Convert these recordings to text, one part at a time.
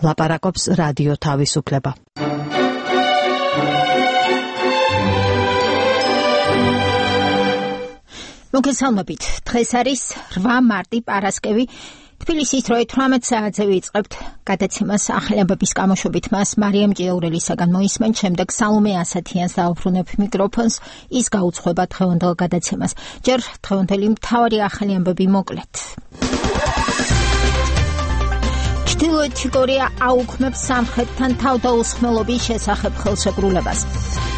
ლაპარაკობს რადიო თავისუფლება. მოგესალმებით. დღეს არის 8 მარტი პარასკევი. თბილისის დროით 18 საათზე ვიწყებთ გადაცემას ახალი ამბების გამოშვებით. მას მარიამ ჭიაურელისაგან მოისმენთ, შემდეგ სალომე ასათიანს დაუბრუნებ მიკროფონს, ის გაუძღვება დღევანდელ გადაცემას. ჯერ დღევანდელი მთავარი ახალი ამბები მოკლედ. ჩრდილოეთი კორეა აუქმებს სამხრეთთან თავდაუსხმელობის შესახებ ხელშეკრულებას.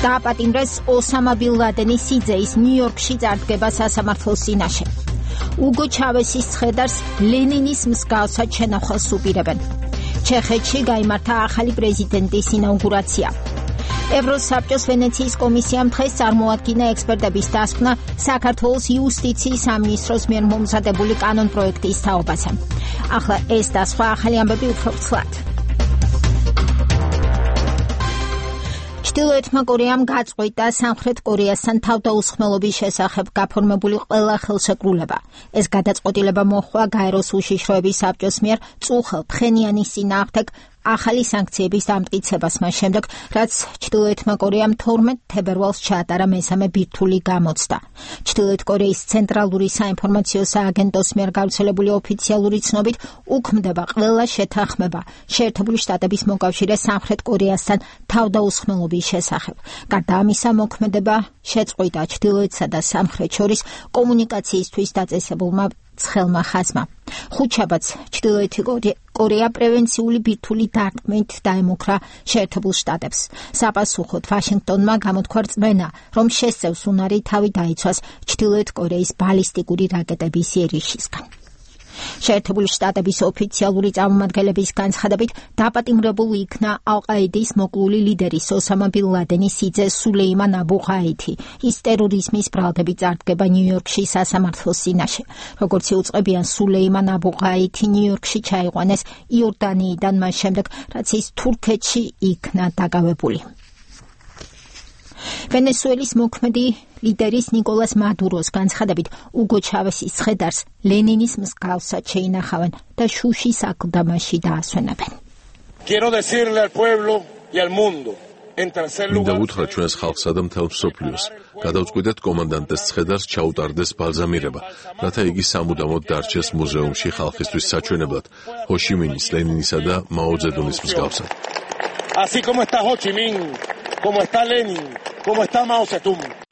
დააპატიმრეს ოსამა ბინ ლადენის სიძეის ნიუ-იორკში წარდგება სასამართლოს წინაშე. უგო ჩავესის ცხედარს ლენინის მსგავსად შენახავს უპირებენ. ჩეხეთში გაიმართა ახალი პრეზიდენტის ინაუგურაცია. ევროსაბჭოს ვენეციის კომისიამ დღეს წარმოადგინა ექსპერტების დასკვნა საქართველოს იუსტიციის სამინისტროს მიერ მომზადებული კანონპროექტის თაობაზე. ახლა ეს და სხვა ახალი ამბები უფრო ვრცლად. ჩრდილოეთმა კორეამ გაწყვიტა სამხრეთ კორეასთან თავდაუსხმელობის შესახებ გაფორმებული ყველა ხელშეკრულება. ეს გადაწყვეტილება მოჰყვა გაეროს უშიშროების საბჭოს მიერ წუხელ ფხენიანის წინააღმდეგ ახალი სანქციების დამტკიცებას მას შემდეგ, რაც ჩრდილოეთმა კორეამ 12 თებერვალს ჩაატარა მესამე ბირთვული გამოცდა. ჩრდილოეთ კორეის ცენტრალური საინფორმაციო სააგენტოს მიერ გავრცელებული ოფიციალური ცნობით უქმდება ყველა შეთანხმება შეერთებული შტატების მოკავშირე სამხრეთ კორეასთან თავდაუსხმელობის შესახებ. გარდა ამისა, მოქმედება შეწყვიტა ჩრდილოეთსა და სამხრეთ შორის კომუნიკაციისთვის დაწესებულმა ცხელმა ხაზმა. ხუთშაბათს ჩრდილოეთი კორეა პრევენციული ბირთვული დარტყმით დაემუქრა შეერთებულ შტატებს. საპასუხოდ ვაშინგტონმა გამოთქვა რწმენა, რომ შესწევს უნარი თავი დაიცვას ჩრდილოეთ კორეის ბალისტიკური რაკეტების იერიშისგან. შეერთებული შტატების ოფიციალური წარმომადგენლების განცხადებით დაპატიმრებულ იქნა ალ-ყაიდის მოკლული ლიდერის ოსამა ბინ ლადენის სიძე სულეიმან აბუ ღაითი. ის ტერორიზმის ბრალდებით წარდგება ნიუ-იორკში სასამართლოს წინაშე. როგორც იუწყებიან, სულეიმან აბუ ღაითი ნიუ-იორკში ჩაიყვანეს იორდანიიდან მას შემდეგ, რაც ის თურქეთში იქნა დაკავებული. ვენესუელის მოქმედი ლიდერის ნიკოლას მადუროს განცხადებით უგო ჩავესის ცხედარს ლენინის მსგავსად შეინახავენ და შუშის აკლდამაში დაასვენებენ. მინდა უთხრა ჩვენს ხალხსა და მთელ მსოფლიოს, გადავწყვიტეთ კომანდანტეს ცხედარს ჩაუტარდეს ბალზამირება, რათა იგი სამუდამოდ დარჩეს მუზეუმში ხალხისთვის საჩვენებლად, ჰოშიმინის, ლენინისა და მაო ძედუნის მსგავსად. Así como está Ho Chi Minh, como está Lenin, como está Mao Zedong.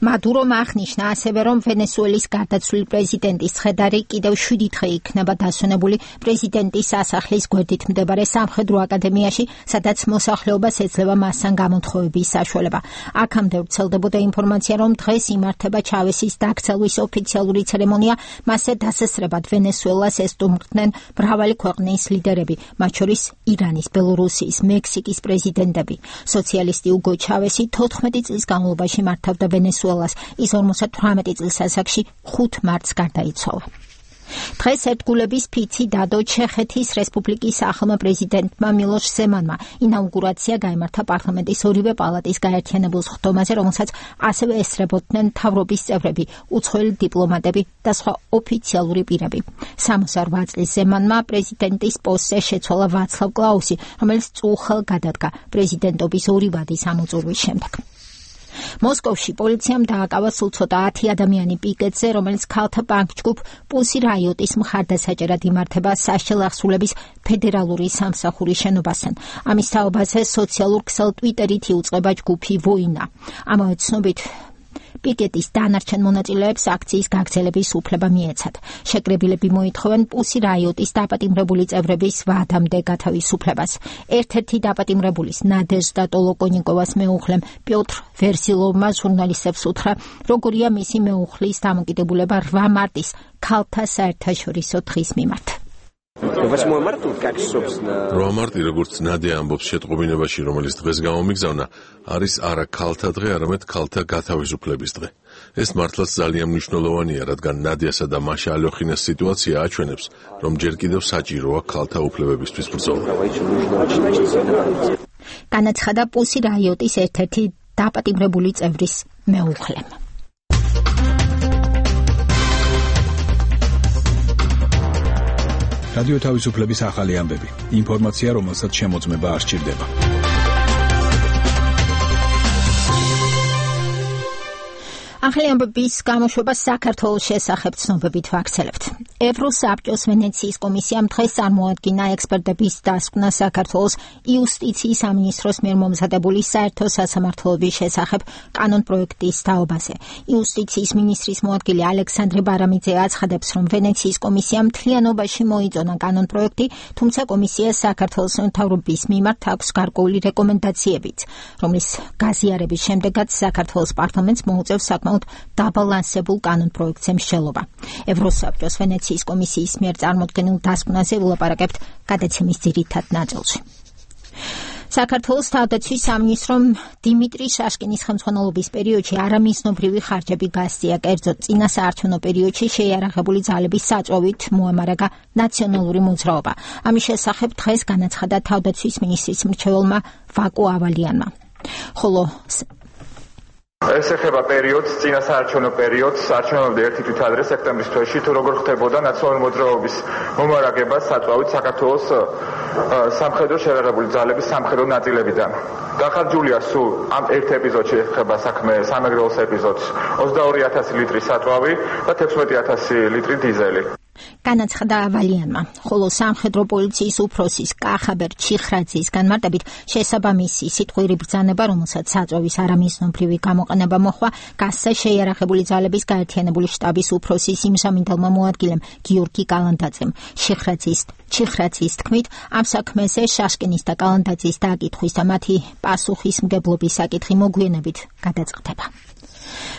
მადურომ აღნიშნა ასევე, რომ ვენესუელის გარდაცვლილი პრეზიდენტის ცხედარი კიდევ 7 დღე იქნება დასვენებული პრეზიდენტის სასახლის გვერდით მდებარე სამხედრო აკადემიაში, სადაც მოსახლეობას ეძლევა მასთან გამოთხოვების საშუალება. აქამდე ვრცელდებოდა ინფორმაცია, რომ დღეს იმართება ჩავესის დაქცევის ოფიციალური ცერემონია, მასზე დასესრებად ვენესუელას ესტუმრდნენ მრავალი ქვეყნის ლიდერები, მათ შორის ირანის, ბელორუსიის, მექსიკის პრეზიდენტები. სოციალისტი უგო ჩავესი 14 წლის განმავლობაში მართავდა ვენესუელას. ის 58 წლის ასაკში 5 მარტს გარდაიცვალა. დღეს ერთგულების ფიცი დადო ჩეხეთის რესპუბლიკის ახალმა პრეზიდენტმა მილოშ ზემანმა. ინაუგურაცია გაიმართა პარლამენტის ორივე პალატის გაერთიანებულ სხდომაზე, რომელსაც ასევე ესწრებოდნენ მთავრობის წევრები, უცხოელი დიპლომატები და სხვა ოფიციალური პირები. 68 წლის ზემანმა პრეზიდენტის პოსტზე შეცვალა ვაცლავ კლაუსი, რომელიც წუხელ გადადგა პრეზიდენტობის 2 ვადის ამოწურვის შემდეგ. მოსკოვში პოლიციამ დააკავა სულ ცოტა 10 ადამიანი პიკეტზე, რომელიც ქალთა პანკ-ჯგუფ პუსი რაიოტის მხარდასაჭერად იმართება საშელახსულების ფედერალური სამსახურის შენობასთან. ამის თაობაზე სოციალურ ქსელ ტვიტერით იუწყება ჯგუფი ვოინა. ამავე ცნობით პიკეტის დანარჩენ მონაწილეებს აქციის გაგრძელების უფლება მიეცათ. შეკრებილები მოითხოვენ პუსი რაიოტის დაპატიმრებული წევრების ვადამდე გათავისუფლებას. ერთ-ერთი დაპატიმრებულის ნადეჟდა ტოლოკონიკოვას მეუღლემ პიოტრ ვერსილოვმა ჟურნალისტებს უთხრა, როგორია მისი მეუღლის დამოკიდებულება 8 მარტის ქალთა საერთაშორისო დღის მიმართ. 8 მარტი, როგორც ნადე ამბობს შეტყობინებაში, რომელიც დღეს გამომიგზავნა, არის არა ქალთა დღე, არამედ ქალთა გათავისუფლების დღე. ეს მართლაც ძალიან მნიშვნელოვანია, რადგან ნადიასა და მაშა ალოხინას სიტუაცია აჩვენებს, რომ ჯერ კიდევ საჭიროა ქალთა უფლებებისთვის ბრძოლა. განაცხადა პუსი რაიოტის ერთ-ერთი დაპატიმრებული წევრის მეუღლემ. რადიო თავისუფლების ახალი ამბები. ინფორმაცია, რომელსაც შემოწმება არ სჭირდება. ახალი ამბების გამოშვება საქართველოს შესახებ ცნობებით ვაქცელებთ. ევროსაბჭოს ვენეციის კომისიამ დღეს წარმოადგინა ექსპერტების დასკვნა საქართველოს იუსტიციის სამინისტროს მიერ მომზადებული საერთო სასამართლოების შესახებ კანონპროექტის თაობაზე. იუსტიციის მინისტრის მოადგილე ალექსანდრე ბარამიძე აცხადებს, რომ ვენეციის კომისიამ მთლიანობაში მოიწონა კანონპროექტი, თუმცა კომისიას საქართველოს მთავრობის მიმართ აქვს გარკვეული რეკომენდაციებიც, რომლის გაზიარების შემდეგაც საქართველოს პარლამენტს მოუწევს საკმაოდ დაბალანსებულ კანონპროექტზე მსჯელობა. ევროსაბჭოს ვენეციის კომისიის მიერ წარმოდგენილ დასკვნაზე ვილაპარაკებთ გადაცემის ძირითად ნაწილში. საქართველოს თავდაცვის სამინისტრომ დიმიტრი შაშკინის ხელმძღვანელობის პერიოდში არამიზნობრივი ხარჯები გასწია, კერძოდ წინა საარჩევნო პერიოდში შეიარაღებული ძალების საწვევით მოემარაგა ნაციონალური მოძრაობა. ამის შესახებ დღეს განაცხადა თავდაცვის მინისტრის მრჩეველმა ვაკო ავალიანმა. ხოლო ეს ეხება პერიოდს, წინა საარჩევნო პერიოდს, არჩევნებამდე ერთი თვით ადრე სექტემბრის თვეში, თუ როგორ ხდებოდა ნაციონალური მოძრაობის მომარაგება საწვავით საქართველოს სამხედრო შეიარაღებული ძალების სამხედრო ნაწილებიდან. დახარჯულია სულ ამ ერთ ეპიზოდში ეხება საქმე სამეგრელოს ეპიზოდს 22,000 ლიტრი საწვავი და 16,000 ლიტრი დიზელი. განაცხადა ავალიანმა, ხოლო სამხედრო პოლიციის უფროსის კახაბერ ჩიხრაძის განმარტებით შესაბამისი სიტყვიერი ბრძანება, რომელსაც საწვავის არამიზნობრივი გამოყენება მოჰყვა, გასცა შეიარაღებული ძალების გაერთიანებული შტაბის უფროსის იმჟამინდელმა მოადგილემ გიორგი კალანდაძემ. ჩიხრაძის თქმით, ამ საქმეზე შაშკინის და კალანდაძის დაკითხვის და მათი პასუხისმგებლობის საკითხი მოგვიანებით გადაწყდება.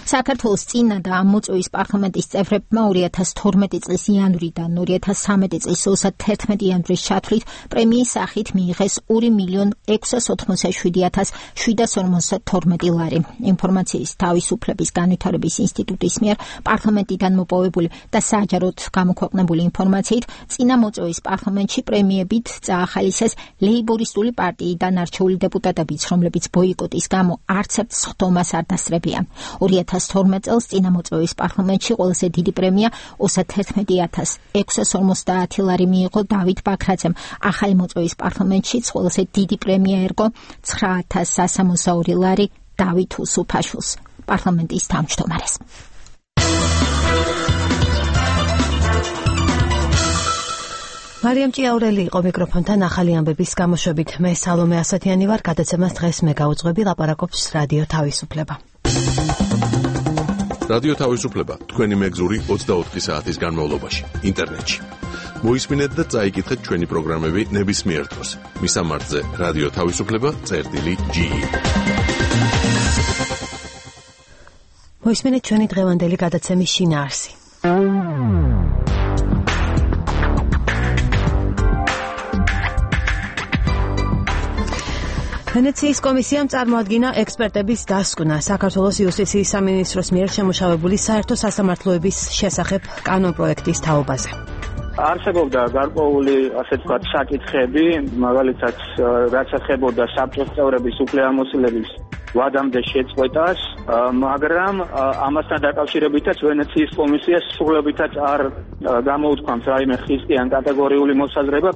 საქართველოს წინა და ამ მოწვევის პარლამენტის წევრებმა 2012 წლის იანვრიდან 2013 წლის 31 იანვრის ჩათვლით პრემიის სახით მიიღეს 2,687,752 ლარი. ინფორმაციის თავისუფლების განვითარების ინსტიტუტის მიერ პარლამენტიდან მოპოვებული და საჯაროდ გამოქვეყნებული ინფორმაციით წინა მოწვევის პარლამენტში პრემიებით წაახალისეს ლეიბორისტული პარტიიდან არჩეული დეპუტატებიც, რომლებიც ბოიკოტის გამო არცერთ სხდომას არ დასწრებიან. 2012 წელს წინა მოწვევის პარლამენტში ყველაზე დიდი პრემია 31,650 ლარი მიიღო დავით ბაქრაძემ. ახალი მოწვევის პარლამენტში ყველაზე დიდი პრემია ერგო 9,162 ლარი დავით უსუფაშვილს, პარლამენტის თავმჯდომარეს. მარიამ ჭიაურელი იყო მიკროფონთან ახალი ამბების გამოშვებით. მე სალომე ასათიანი ვარ, გადაცემას დღეს მე გავუძღვები, ლაპარაკობს რადიო თავისუფლება. რადიო თავისუფლება თქვენი მეგზური 24 საათის განმავლობაში ინტერნეტში. მოისმინეთ და წაიკითხეთ ჩვენი პროგრამები ნებისმიერ დროს. მისამართზე რადიო თავისუფლება.ge. მოისმინეთ ჩვენი დღევანდელი გადაცემის შინაარსი. ვენეციის კომისიამ წარმოადგინა ექსპერტების დასკვნა საქართველოს იუსტიციის სამინისტროს მიერ შემუშავებული საერთო სასამართლოების შესახებ კანონპროექტის თაობაზე. არსებობდა გარკვეული, ასე ვთქვათ, საკითხები, მაგალითად, რაც ეხებოდა საბჭოს წევრების უფლებამოსილების ვადამდე შეწყვეტას, მაგრამ ამასთან დაკავშირებითაც ვენეციის კომისიას სრულებითაც არ გამოუთქვამს რაიმე ხისტიან კატეგორიული მოსაზრება.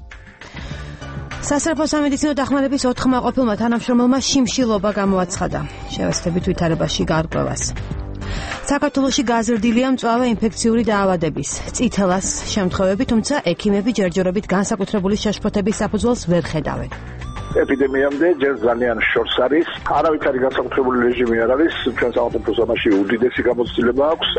სასწრაფო სამედიცინო დახმარების 4 მაყოფილმა თანამშრომელმა შიმშილობა გამოაცხადა. შევეცდებით ვითარებაში გარკვევას. საქართველოში გაზრდილია მწვავე ინფექციური დაავადების, წითელას შემთხვევები, თუმცა ექიმები ჯერჯერობით განსაკუთრებული შეშფოთების საფუძველს ვერ ხედავენ. ეპიდემიამდე ჯერ ძალიან შორს არის, არავითარი განსაკუთრებული რეჟიმი არ არის, ჩვენ სახელმწიფოს ამაში უდიდესი გამოცდილება აქვს.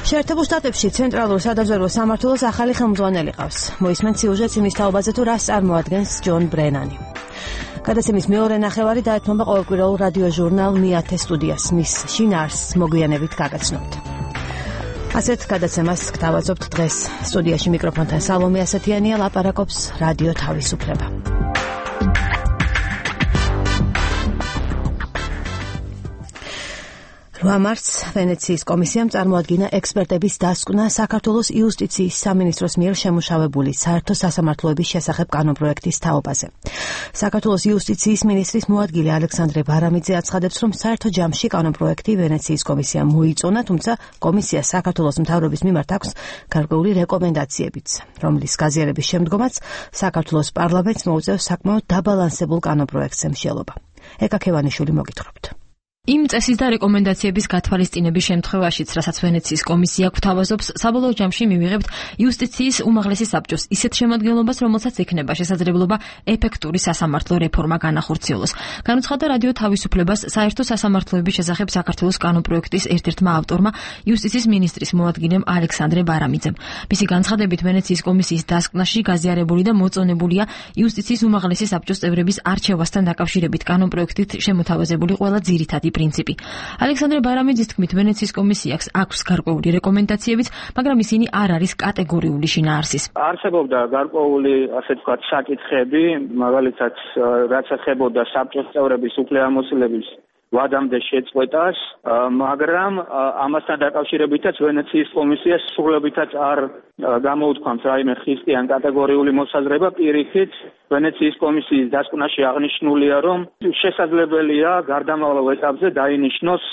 შეერთებულ შტატებში ცენტრალურ სადაზვერვო სამმართველოს ახალი ხელმძღვანელი ყავს. მოისმენთ სიუჟეტს იმის თაობაზე, თუ რას წარმოადგენს ჯონ ბრენანი. გადაცემის მეორე ნახევარი დაეთმობა ყოველკვირეულ რადიო ჟურნალ მიათე სტუდიას. მის შინაარსს მოგვიანებით გაგაცნობთ. ასეთ გადაცემას გთავაზობთ დღეს. სტუდიაში მიკროფონთან სალომე ასათიანია, ლაპარაკობს რადიო თავისუფლება. 8 მარტს ვენეციის კომისიამ წარმოადგინა ექსპერტების დასკვნა საქართველოს იუსტიციის სამინისტროს მიერ შემუშავებული საერთო სასამართლოების შესახებ კანონპროექტის თაობაზე. საქართველოს იუსტიციის მინისტრის მოადგილე ალექსანდრე ბარამიძე აცხადებს, რომ საერთო ჯამში კანონპროექტი ვენეციის კომისიამ მოიწონა, თუმცა კომისია საქართველოს მთავრობის მიმართ აქვს გარკვეული რეკომენდაციებიც, რომლის გაზიარების შემდგომაც საქართველოს პარლამენტს მოუწევს საკმაოდ დაბალანსებულ კანონპროექტზე მსჯელობა. ეკა ქევანიშვილი მოგითხრობთ. იმ წესის და რეკომენდაციების გათვალისწინების შემთხვევაშიც, რასაც ვენეციის კომისია გვთავაზობს, საბოლოო ჯამში მივიღებთ იუსტიციის უმაღლესი საბჭოს ისეთ შემადგენლობას, რომელსაც ექნება შესაძლებლობა ეფექტური სასამართლო რეფორმა განახორციელოს. განუცხადა რადიო თავისუფლებას საერთო სასამართლოების შესახებ საქართველოს კანონპროექტის ერთ-ერთმა ავტორმა, იუსტიციის მინისტრის მოადგილემ ალექსანდრე ბარამიძემ. მისი განცხადებით, ვენეციის კომისიის დასკვნაში გაზიარებული და მოწონებულია იუსტიციის უმაღლესი საბჭოს წევრების არჩევასთან დაკავშირებით კანონპროექტით შემოთავაზებული ყველა ძირითადი პრინციპი. ალექსანდრე ბარამიძის თქმით, ვენეციის კომისიას აქვს გარკვეული რეკომენდაციებიც, მაგრამ ისინი არ არის კატეგორიული შინაარსის. არსებობდა გარკვეული, ასე ვთქვათ, საკითხები, მაგალითად, რაც ეხებოდა საბჭოს წევრების უფლებამოსილების ვადამდე შეწყვეტას, მაგრამ ამასთან დაკავშირებითაც ვენეციის კომისიას სრულებითაც არ გამოუთქვამს რაიმე ხისტიან კატეგორიული მოსაზრება, პირიქით ვენეციის კომისიის დასკვნაში აღნიშნულია, რომ შესაძლებელია გარდამავალ ეტაპზე დაინიშნოს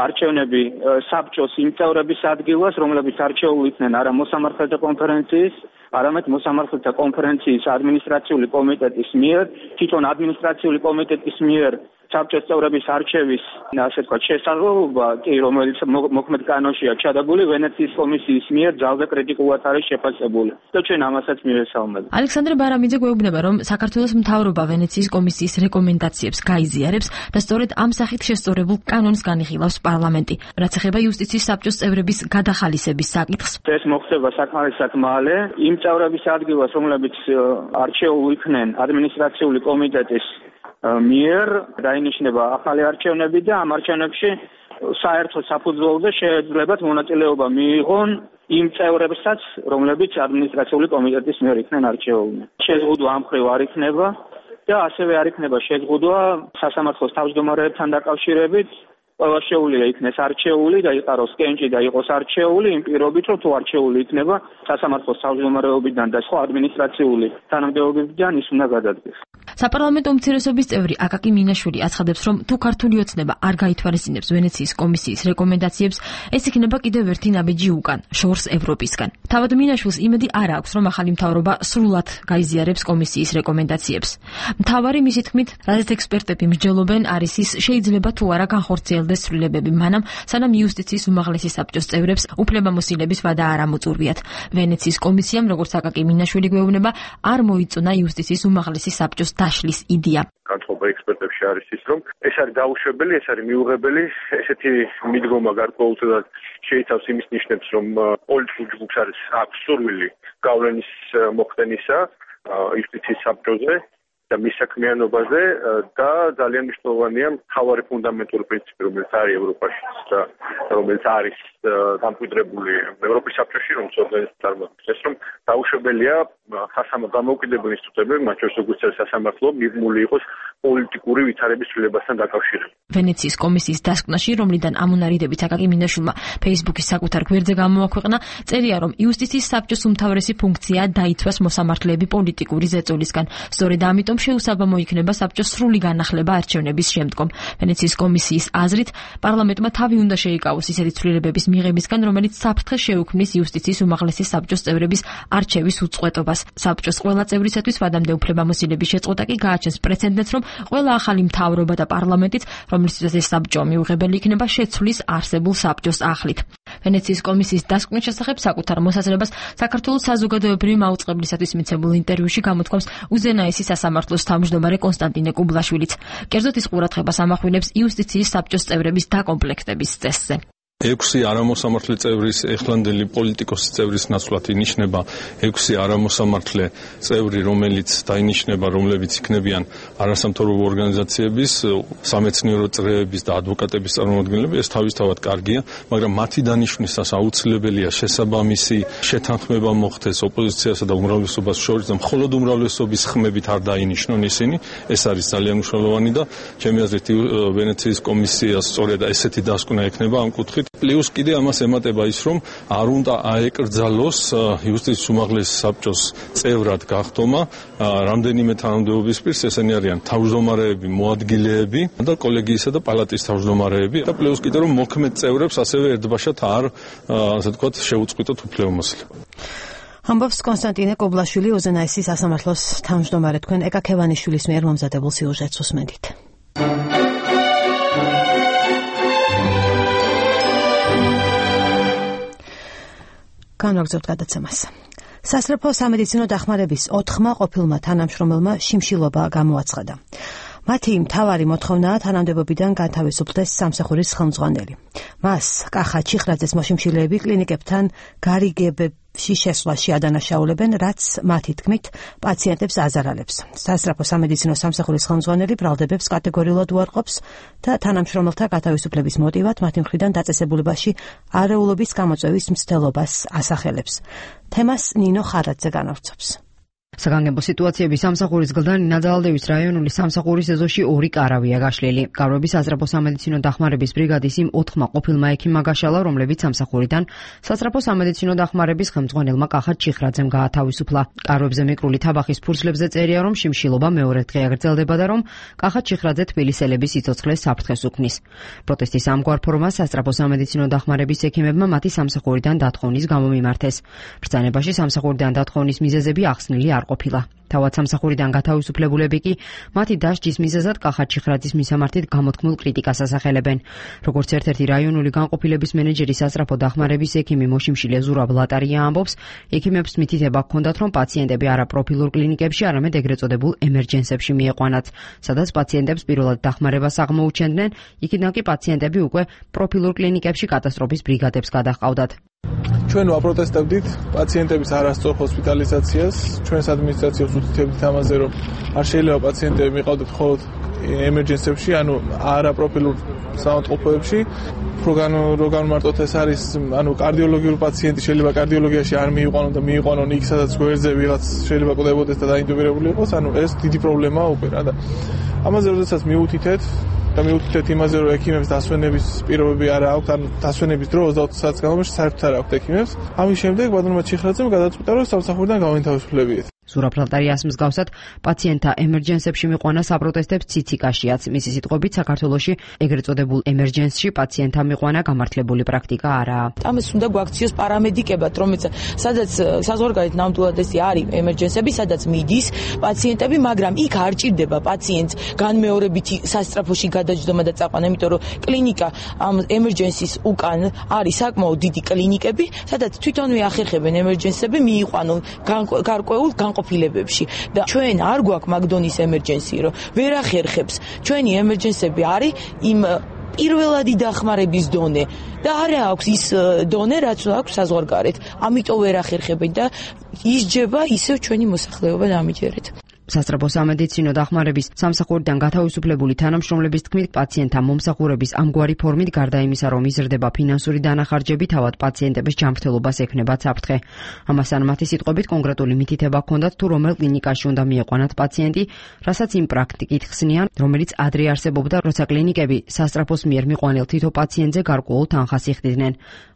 არჩევნები საბჭოს იმ წევრების ადგილას, რომლებიც არჩეული იქნენ არა მოსამართლეთა კონფერენციის, არამედ მოსამართლეთა კონფერენციის ადმინისტრაციული კომიტეტის მიერ, თვითონ ადმინისტრაციული კომიტეტის მიერ საბჭოს წევრების არჩევის, ასე ვთქვათ, შესაძლებლობა, კი, რომელიც მოქმედ კანონშია ჩადებული, ვენეციის კომისიის მიერ ძალზე კრიტიკულად არის შეფასებული. და ჩვენ ამასაც მივესალმებით. ალექსანდრე ბარამიძე გვეუბნება, რომ საქართველოს მთავრობა ვენეციის კომისიის რეკომენდაციებს გაიზიარებს და სწორედ ამ სახით შესწორებულ კანონს განიხილავს პარლამენტი. რაც ეხება იუსტიციის საბჭოს წევრების გადახალისების საკითხს. ეს მოხდება საკმარისად მალე, იმ წევრების ადგილას, რომლებიც არჩეული იქნენ ადმინისტრაციული კომიტეტის მიერ დაინიშნება ახალი არჩევნები და ამ არჩევნებში საერთო საფუძველზე შეეძლებათ მონაწილეობა მიიღონ იმ წევრებსაც, რომლებიც ადმინისტრაციული კომიტეტის მიერ იქნენ არჩეული. შეზღუდვა ამ მხრივ არ იქნება და ასევე არ იქნება შეზღუდვა სასამართლოს თავმჯდომარეებთან დაკავშირებით. ყველა შეუძლია იქნეს არჩეული და იყაროს კენჭი და იყოს არჩეული იმ პირობით, რომ თუ არჩეული იქნება სასამართლოს თავმჯდომარეობიდან და სხვა ადმინისტრაციული თანამდებობებიდან ის უნდა გადადგეს. საპარლამენტო უმცირესობის წევრი აკაკი მინაშვილი აცხადებს, რომ თუ ქართული ოცნება არ გაითვალისწინებს ვენეციის კომისიის რეკომენდაციებს, ეს იქნება კიდევ ერთი ნაბიჯი უკან, შორს ევროპისგან. თავად მინაშვილს იმედი არ აქვს, რომ ახალი მთავრობა სრულად გაიზიარებს კომისიის რეკომენდაციებს. მთავარი მისი თქმით, რადგან ექსპერტები მსჯელობენ, არის ის, შეიძლება თუ არა განხორციელდეს ცვლილებები მანამ, სანამ იუსტიციის უმაღლესი საბჭოს წევრებს უფლებამოსილების ვადა არ ამოწურვიათ. ვენეციის კომისიამ, როგორც აკაკი მინაშვილი გვეუბნება, არ მოიწონა იუსტიციის უმაღლესი საბჭოს დაშლის იდეა. განწყობა ექსპერტებში არის ის, რომ ეს არის დაუშვებელი, ეს არის მიუღებელი, ესეთი მიდგომა გარკვეულწილად შეიცავს იმის ნიშნებს, რომ პოლიტიკურ ჯგუფს აქვს სურვილი გავლენის მოხდენისა იუსტიციის საბჭოზე და მის საქმიანობაზე და ძალიან მნიშვნელოვანია მთავარი ფუნდამენტური პრინციპი, რომელიც არის ევროპაში და რომელიც არის დამკვიდრებული ევროპის საბჭოში, რომელიც ორგანიზმს წარმოადგენს, ეს რომ დაუშვებელია დამოუკიდებელი ინსტიტუტები, მათ შორის როგორც სასამართლო, მიღმული იყოს პოლიტიკური ვითარების ცვლილებასთან დაკავშირებით. ვენეციის კომისიის დასკვნაში, რომლიდან ამონარიდებით აკაკი მინაშვილმა Facebook-ის საკუთარ გვერდზე გამოაქვეყნა, წერია, რომ იუსტიციის საბჭოს უმთავრესი ფუნქციაა დაიცვას მოსამართლეები პოლიტიკური ზეწოლისგან. სწორედ ამიტომ შეუსაბამო იქნება საბჭოს სრული განახლება არჩევნების შემდგომ. ვენეციის კომისიის აზრით, პარლამენტმა თავი უნდა შეიკავოს ისეთი ცვლილებების მიღებისგან, რომელიც საფრთხეს შეუქმნის იუსტიციის უმაღლესი საბჭოს წევრების არჩევის უწყვეტობას. საბჭოს ყველა წევრისათვის ვადამდე უფლებამოსილების შეწყვეტა კი გააჩენს პრეცედენტს, რომ ყველა ახალი მთავრობა და პარლამენტიც, რომლისთვის ეს საბჭო მიუღებელი იქნება, შეცვლის არსებულ საბჭოს ახლით. ვენეციის კომისიის დასკვნის შესახებ საკუთარ მოსაზრებას საქართველოს საზოგადოებრივი მაუწყებლისათვის მიცემულ ინტერვიუში გამოთქვამს უზენაესი სასამართლოს თავმჯდომარე კონსტანტინე კუბლაშვილიც. კერძოდ ის ყურადღებას ამახვილებს იუსტიციის საბჭოს წევრების დაკომპლექტების წესზე. 6 არამოსამართლე წევრის ეხლანდელი პოლიტიკოსის წევრის ნაცვლად ინიშნება 6 არამოსამართლე წევრი, რომელიც დაინიშნება, რომლებიც იქნებიან არასამთავრობო ორგანიზაციების, სამეცნიერო წრეების და ადვოკატების წარმომადგენლები. ეს თავისთავად კარგია, მაგრამ მათი დანიშვნისას აუცილებელია შესაბამისი შეთანხმება მოხდეს ოპოზიციასა და უმრავლესობას შორის და მხოლოდ უმრავლესობის ხმებით არ დაინიშნონ ისინი. ეს არის ძალიან მნიშვნელოვანი და ჩემი აზრით ვენეციის კომისიას სწორედ ესეთი დასკვნა ექნება ამ კუთხით. პლუს კიდე ამას ემატება ის, რომ არ უნდა აეკრძალოს იუსტიციის უმაღლეს საბჭოს წევრად გახდომა რამდენიმე თანამდებობის პირს, ესენი არიან თავმჯდომარეები, მოადგილეები და კოლეგიისა და პალატის თავმჯდომარეები და პლუს კიდე რომ მოქმედ წევრებს ასევე ერთბაშად არ ასე ვთქვათ შეუწყვიტოთ უფლებამოსილება. ამბობს კონსტანტინე კობლაშვილი, უზენაესის სასამართლოს თავმჯდომარე. თქვენ ეკა ქევანიშვილის მიერ მომზადებულ სიუჟეტს უსმენთ. განვაგრძობთ გადაცემას. სასწრაფო სამედიცინო დახმარების 4 ყოფილმა თანამშრომელმა შიმშილობა გამოაცხადა. მათი მთავარი მოთხოვნაა თანამდებობიდან განთავისუფლდეს სამსახურის ხელმძღვანელი. მას კახა ჩიხრაძეს მოშიმშილეები კლინიკებთან გარიგებებში შესვლაში ადანაშაულებენ, რაც მათი თქმით პაციენტებს აზარალებს. სასწრაფო სამედიცინო სამსახურის ხელმძღვანელი ბრალდებებს კატეგორიულად უარყოფს და თანამშრომელთა გათავისუფლების მოტივად მათი მხრიდან დაწესებულებაში არეულობის გამოწვევის მცდელობას ასახელებს. თემას ნინო ხარაძე განავრცობს. საგანგებო სიტუაციების სამსახურის გლდან ნაძალდევის რაიონული სამსახურის ეზოში 2 კარავია გაშლილი. კარვები სასწრაფო სამედიცინო დახმარების ბრიგადის იმ 4 ყოფილმა ექიმმა გაშალა, რომლებიც სამსახურიდან სასწრაფო სამედიცინო დახმარების ხელმძღვანელმა კახა ჩიხრაძემ გაათავისუფლა. კარვებზე მიკრული თაბახის ფურცლებზე წერია, რომ შიმშილობა მეორე დღე აგრძელდება და რომ კახა ჩიხრაძე თბილისელების სიცოცხლეს საფრთხეს უქმნის. პროტესტის ამგვარ ფორმას სასწრაფო სამედიცინო დახმარების ექიმებმა მათი სამსახურიდან დათხოვნის გამო მიმართეს. ბრძანებაში სამსახურიდან დათხოვნის მიზეზები ახსნილი არ ყოფილა. თავად სამსახურიდან გათავისუფლებულები კი მათი დასჯის მიზეზად კახა ჩიხრაძის მისამართით გამოთქმულ კრიტიკას ასახელებენ. როგორც ერთ-ერთი რაიონული განყოფილების მენეჯერი სასწრაფო დახმარების ექიმი მოშიმშილე ზურაბ ლატარია ამბობს, ექიმებს მითითება ჰქონდათ, რომ პაციენტები არა პროფილურ კლინიკებში, არამედ ეგრეთ წოდებულ ემერჯენსებში მieყვანათ, სადაც პაციენტებს პირველად დახმარებას აღმოუჩენდნენ, იქიდან კი პაციენტები უკვე პროფილურ კლინიკებში კატასტროფის ბრიგადებს გადაჰყავდათ. ჩვენ ვაპროტესტებდით პაციენტების არასწორ ჰოსპიტალიზაციას, ჩვენს ადმინისტრაციას უთითებდით ამაზე, რომ არ შეიძლება პაციენტები მიყავდეთ მხოლოდ ემერჯენსებში, ანუ არაპროფილურ საავადმყოფოებში. რო მარტოთ ეს არის, ანუ კარდიოლოგიური პაციენტი შეიძლება კარდიოლოგიაში არ მიიყვანონ და მიიყვანონ იქ, სადაც გვერდზე ვიღაც შეიძლება კვდებოდეს და დაინტუბირებული იყოს, ანუ ეს დიდი პრობლემაა უკვე რა და ამაზე როდესაც მიუთითეთ და მიუთითეთ იმაზე, რომ ექიმებს დასვენების პირობები არ აქვს, ან დასვენების დრო 20 საათის განმავლობაში საერთოდ არ აქვს ექიმებს. ამის შემდეგ ბატონმა ჩიხრაძემ გადაწყვიტა, რომ სამსახურიდან გავინთავისუფლებიეთ. ზურაბ ლატარიას მსგავსად პაციენტთა ემერჯენსებში მიყვანა საპროტესტებს ციციკაშიაც. მისი სიტყვებით საქართველოში ეგრეთ წოდებულ ემერჯენსში პაციენტთა მიყვანა გამართლებული პრაქტიკა არაა. ამას უნდა გვაქციოს პარამედიკებად, სადაც საზღვარგარეთ ნამდვილად ესე არის ემერჯენსები, სადაც მიდის პაციენტები, მაგრამ იქ არ ჭირდება პაციენტს განმეორებითი სასწრაფოში გადაჯდომა და წაყვანა, იმიტომ რომ კლინიკა ამ ემერჯენსის უკან არის საკმაოდ დიდი კლინიკები, სადაც თვითონვე ახერხებენ ემერჯენსები მიიყვანონ გარკვეულ განყოფილებებში და ჩვენ არ გვაქვს მაგდონის ემერჯენსი, რომ ვერ ახერხებს. ჩვენი ემერჯენსები არის იმ პირველადი დახმარების დონე და არ აქვს ის დონე, რაც აქვს საზღვარგარეთ. ამიტომ ვერ ახერხებენ და ისჯება ისევ ჩვენი მოსახლეობა დამიჯერეთ. სასწრაფო სამედიცინო დახმარების სამსახურიდან გათავისუფლებული თანამშრომლების თქმით, პაციენტთა მომსახურების ამგვარი ფორმით გარდა იმისა, რომ იზრდება ფინანსური დანახარჯები, თავად პაციენტების ჯანმრთელობას ექნება საფრთხე. ამასთან მათი სიტყვებით კონკრეტული მითითება ჰქონდათ, თუ რომელ კლინიკაში უნდა მieყვანათ პაციენტი, რასაც იმ პრაქტიკით ხსნიან, რომელიც ადრე არსებობდა, როცა კლინიკები სასწრაფოს მიერ მიყვანილ თითო პაციენტზე გარკვეულ თანხას იხდიდნენ.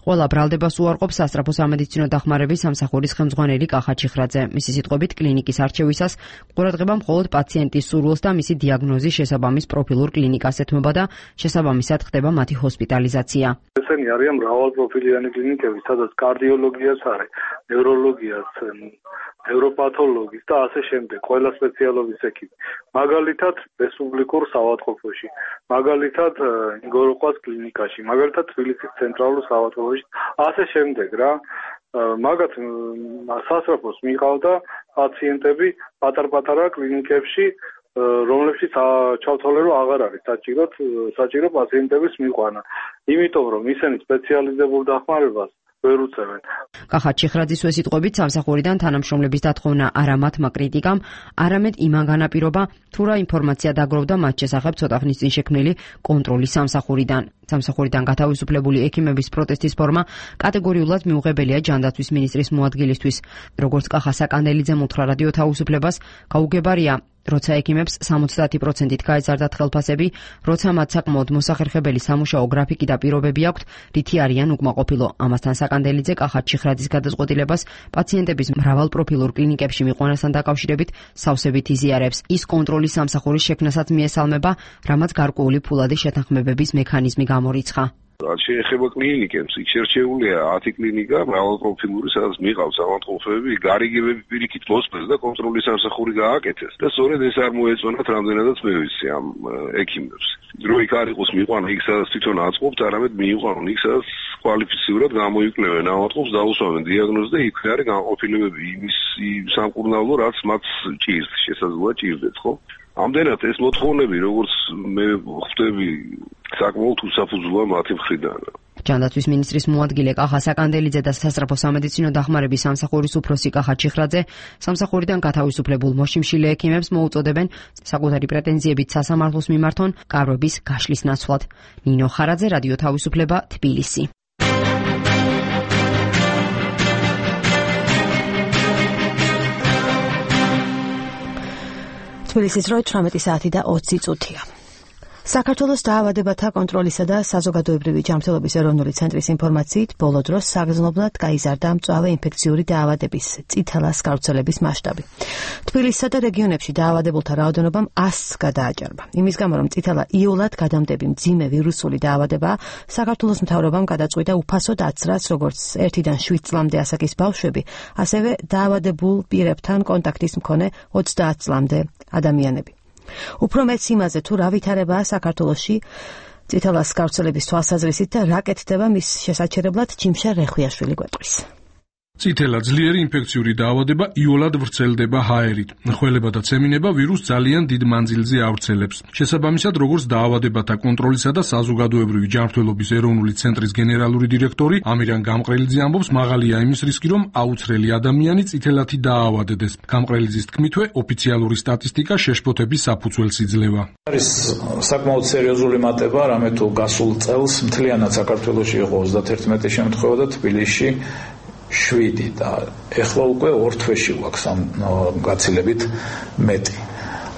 ყველა ბრალდებას უარყოფს სასწრაფო სამედიცინო დახმარების სამსახურის ხელმძღვანელი კახა ჩიხრაძე. მისი სიტყვებით, კლინიკის არჩევისას ყურადღება მხოლოდ პაციენტის სურვილს და მისი დიაგნოზის შესაბამის პროფილურ კლინიკას ეთმობა და შესაბამისად ხდება მათი ჰოსპიტალიზაცია. ესენი არიან მრავალპროფილიანი კლინიკები, სადაც კარდიოლოგიაც არის, ნევროლოგიაც, ნევროპათოლოგიც და ასე შემდეგ, ყველა სპეციალობის ექიმი. მაგალითად, რესპუბლიკურ საავადმყოფოში, მაგალითად, ნიგოროყვას კლინიკაში, მაგალითად, თბილისის ცენტრალურ საავადმყოფოში, ასე შემდეგ რა. მაგათ სასწრაფოს მიყავდა პაციენტები პატარ-პატარა კლინიკებში, რომლებშიც ჩავთვალე, რომ აღარ არის საჭირო პაციენტების მიყვანა. იმიტომ რომ ისინი სპეციალიზებულ დახმარებას ვერ უწევენ. კახა ჩიხრაძის სიტყვებით სამსახურიდან თანამშრომლების დათხოვნა არა მათმა კრიტიკამ, არამედ იმან განაპირობა, თუ რა ინფორმაცია დაგროვდა მათ შესახებ ცოტა ხნის წინ შექმნილი კონტროლის სამსახურიდან. სამსახურიდან გათავისუფლებული ექიმების პროტესტის ფორმა კატეგორიულად მიუღებელია ჯანდაცვის მინისტრის მოადგილისთვის. როგორც კახა საკანდელიძემ უთხრა რადიო თავისუფლებას, გაუგებარია როცა ექიმებს 70%-ით გაეზარდათ ხელფასები, როცა მათ საკმაოდ მოსახერხებელი სამუშაო გრაფიკი და პირობები აქვთ, რითი არიან უკმაყოფილო. ამასთან საკანდელიძე კახა ჩიხრაძის გადაწყვეტილებას პაციენტების მრავალპროფილურ კლინიკებში მიყვანასთან დაკავშირებით სავსებით იზიარებს. ის კონტროლის სამსახურის შექმნასაც მიესალმება, რამაც გარკვეული ფულადი შეთანხმებების მექანიზმი გამორიცხა. შეეხება კლინიკებს, იქ შერჩეულია 10 კლინიკა, მრავალპროფილური, სადაც მიყავს ავადმყოფები, გარიგებები პირიქით მოსწეს და კონტროლის სამსახური გააკეთეს. და სწორედ ეს არ მოეწონათ რამდენადაც მე ვიცი ამ ექიმებს. რო იქ არ იყოს მიყვანა იქ სადაც თვითონ აწყობთ, არამედ მიიყვანონ იქ სადაც კვალიფიცირებულად გამოიკვლევენ ავადმყოფს, დაუსვამენ დიაგნოზს და იქ არის განყოფილებები იმის სამკურნალო, რაც მათ ჭირს, შესაძლოა ჭირდეთ, ხო? ამდენად ეს მოთხოვნები, როგორც მე ხვდები, საკმაოდ უსაფუძვლოა მათი მხრიდან. ჯანდაცვის მინისტრის მოადგილე კახა საკანდელიძე და სასწრაფო სამედიცინო დახმარების სამსახურის უფროსი კახა ჩიხრაძე სამსახურიდან გათავისუფლებულ მოშიმშილე ექიმებს მოუწოდებენ საკუთარი პრეტენზიებით სასამართლოს მიმართონ კარვების გაშლის ნაცვლად. ნინო ხარაძე, რადიო თავისუფლება, თბილისი. თბილისის დრო 18 საათი და 20 წუთია. საქართველოს დაავადებათა კონტროლისა და საზოგადოებრივი ჯანმრთელობის ეროვნული ცენტრის ინფორმაციით, ბოლო დროს საგრძნობლად გაიზარდა მწვავე ინფექციური დაავადების წითელას გავრცელების მასშტაბი. თბილისსა და რეგიონებში დაავადებულთა რაოდენობამ 100-ს გადააჭარბა. იმის გამო, რომ წითელა იოლად გადამდები მძიმე ვირუსული დაავადებაა, საქართველოს მთავრობამ გადაწყვიტა უფასო დაცრას როგორც 1-დან 7 წლამდე ასაკის ბავშვები, ასევე დაავადებულ პირებთან კონტაქტის მქონე 30 წლამდე ადამიანები. უფრო მეც იმაზე, თუ რა ვითარებაა საქართველოში წითელას გავრცელების თვალსაზრისით და რა კეთდება მის შესაჩერებლად, ჯიმშა რეხვიაშვილი გვეტყვის. წითელა ძლიერი ინფექციური დაავადება იოლად ვრცელდება ჰაერით. ხველება და ცემინება ვირუსს ძალიან დიდ მანძილზე ავრცელებს. შესაბამისად, როგორც დაავადებათა კონტროლისა და საზოგადოებრივი ჯანმრთელობის ეროვნული ცენტრის გენერალური დირექტორი ამირან გამყრელიძე ამბობს, მაღალია იმის რისკი, რომ აუცხრელი ადამიანი წითელათი დაავადდეს. გამყრელიძის თქმითვე, ოფიციალური სტატისტიკა შეშფოთების საფუძველს იძლევა. არის საკმაოდ სერიოზული მატება, რამე თუ გასულ წელს მთლიანად საქართველოში იყო 31 შემთხვევა და თბილისში 7 და ეხლა უკვე 2 თვეში გვაქვს ამ გაცილებით მეტი.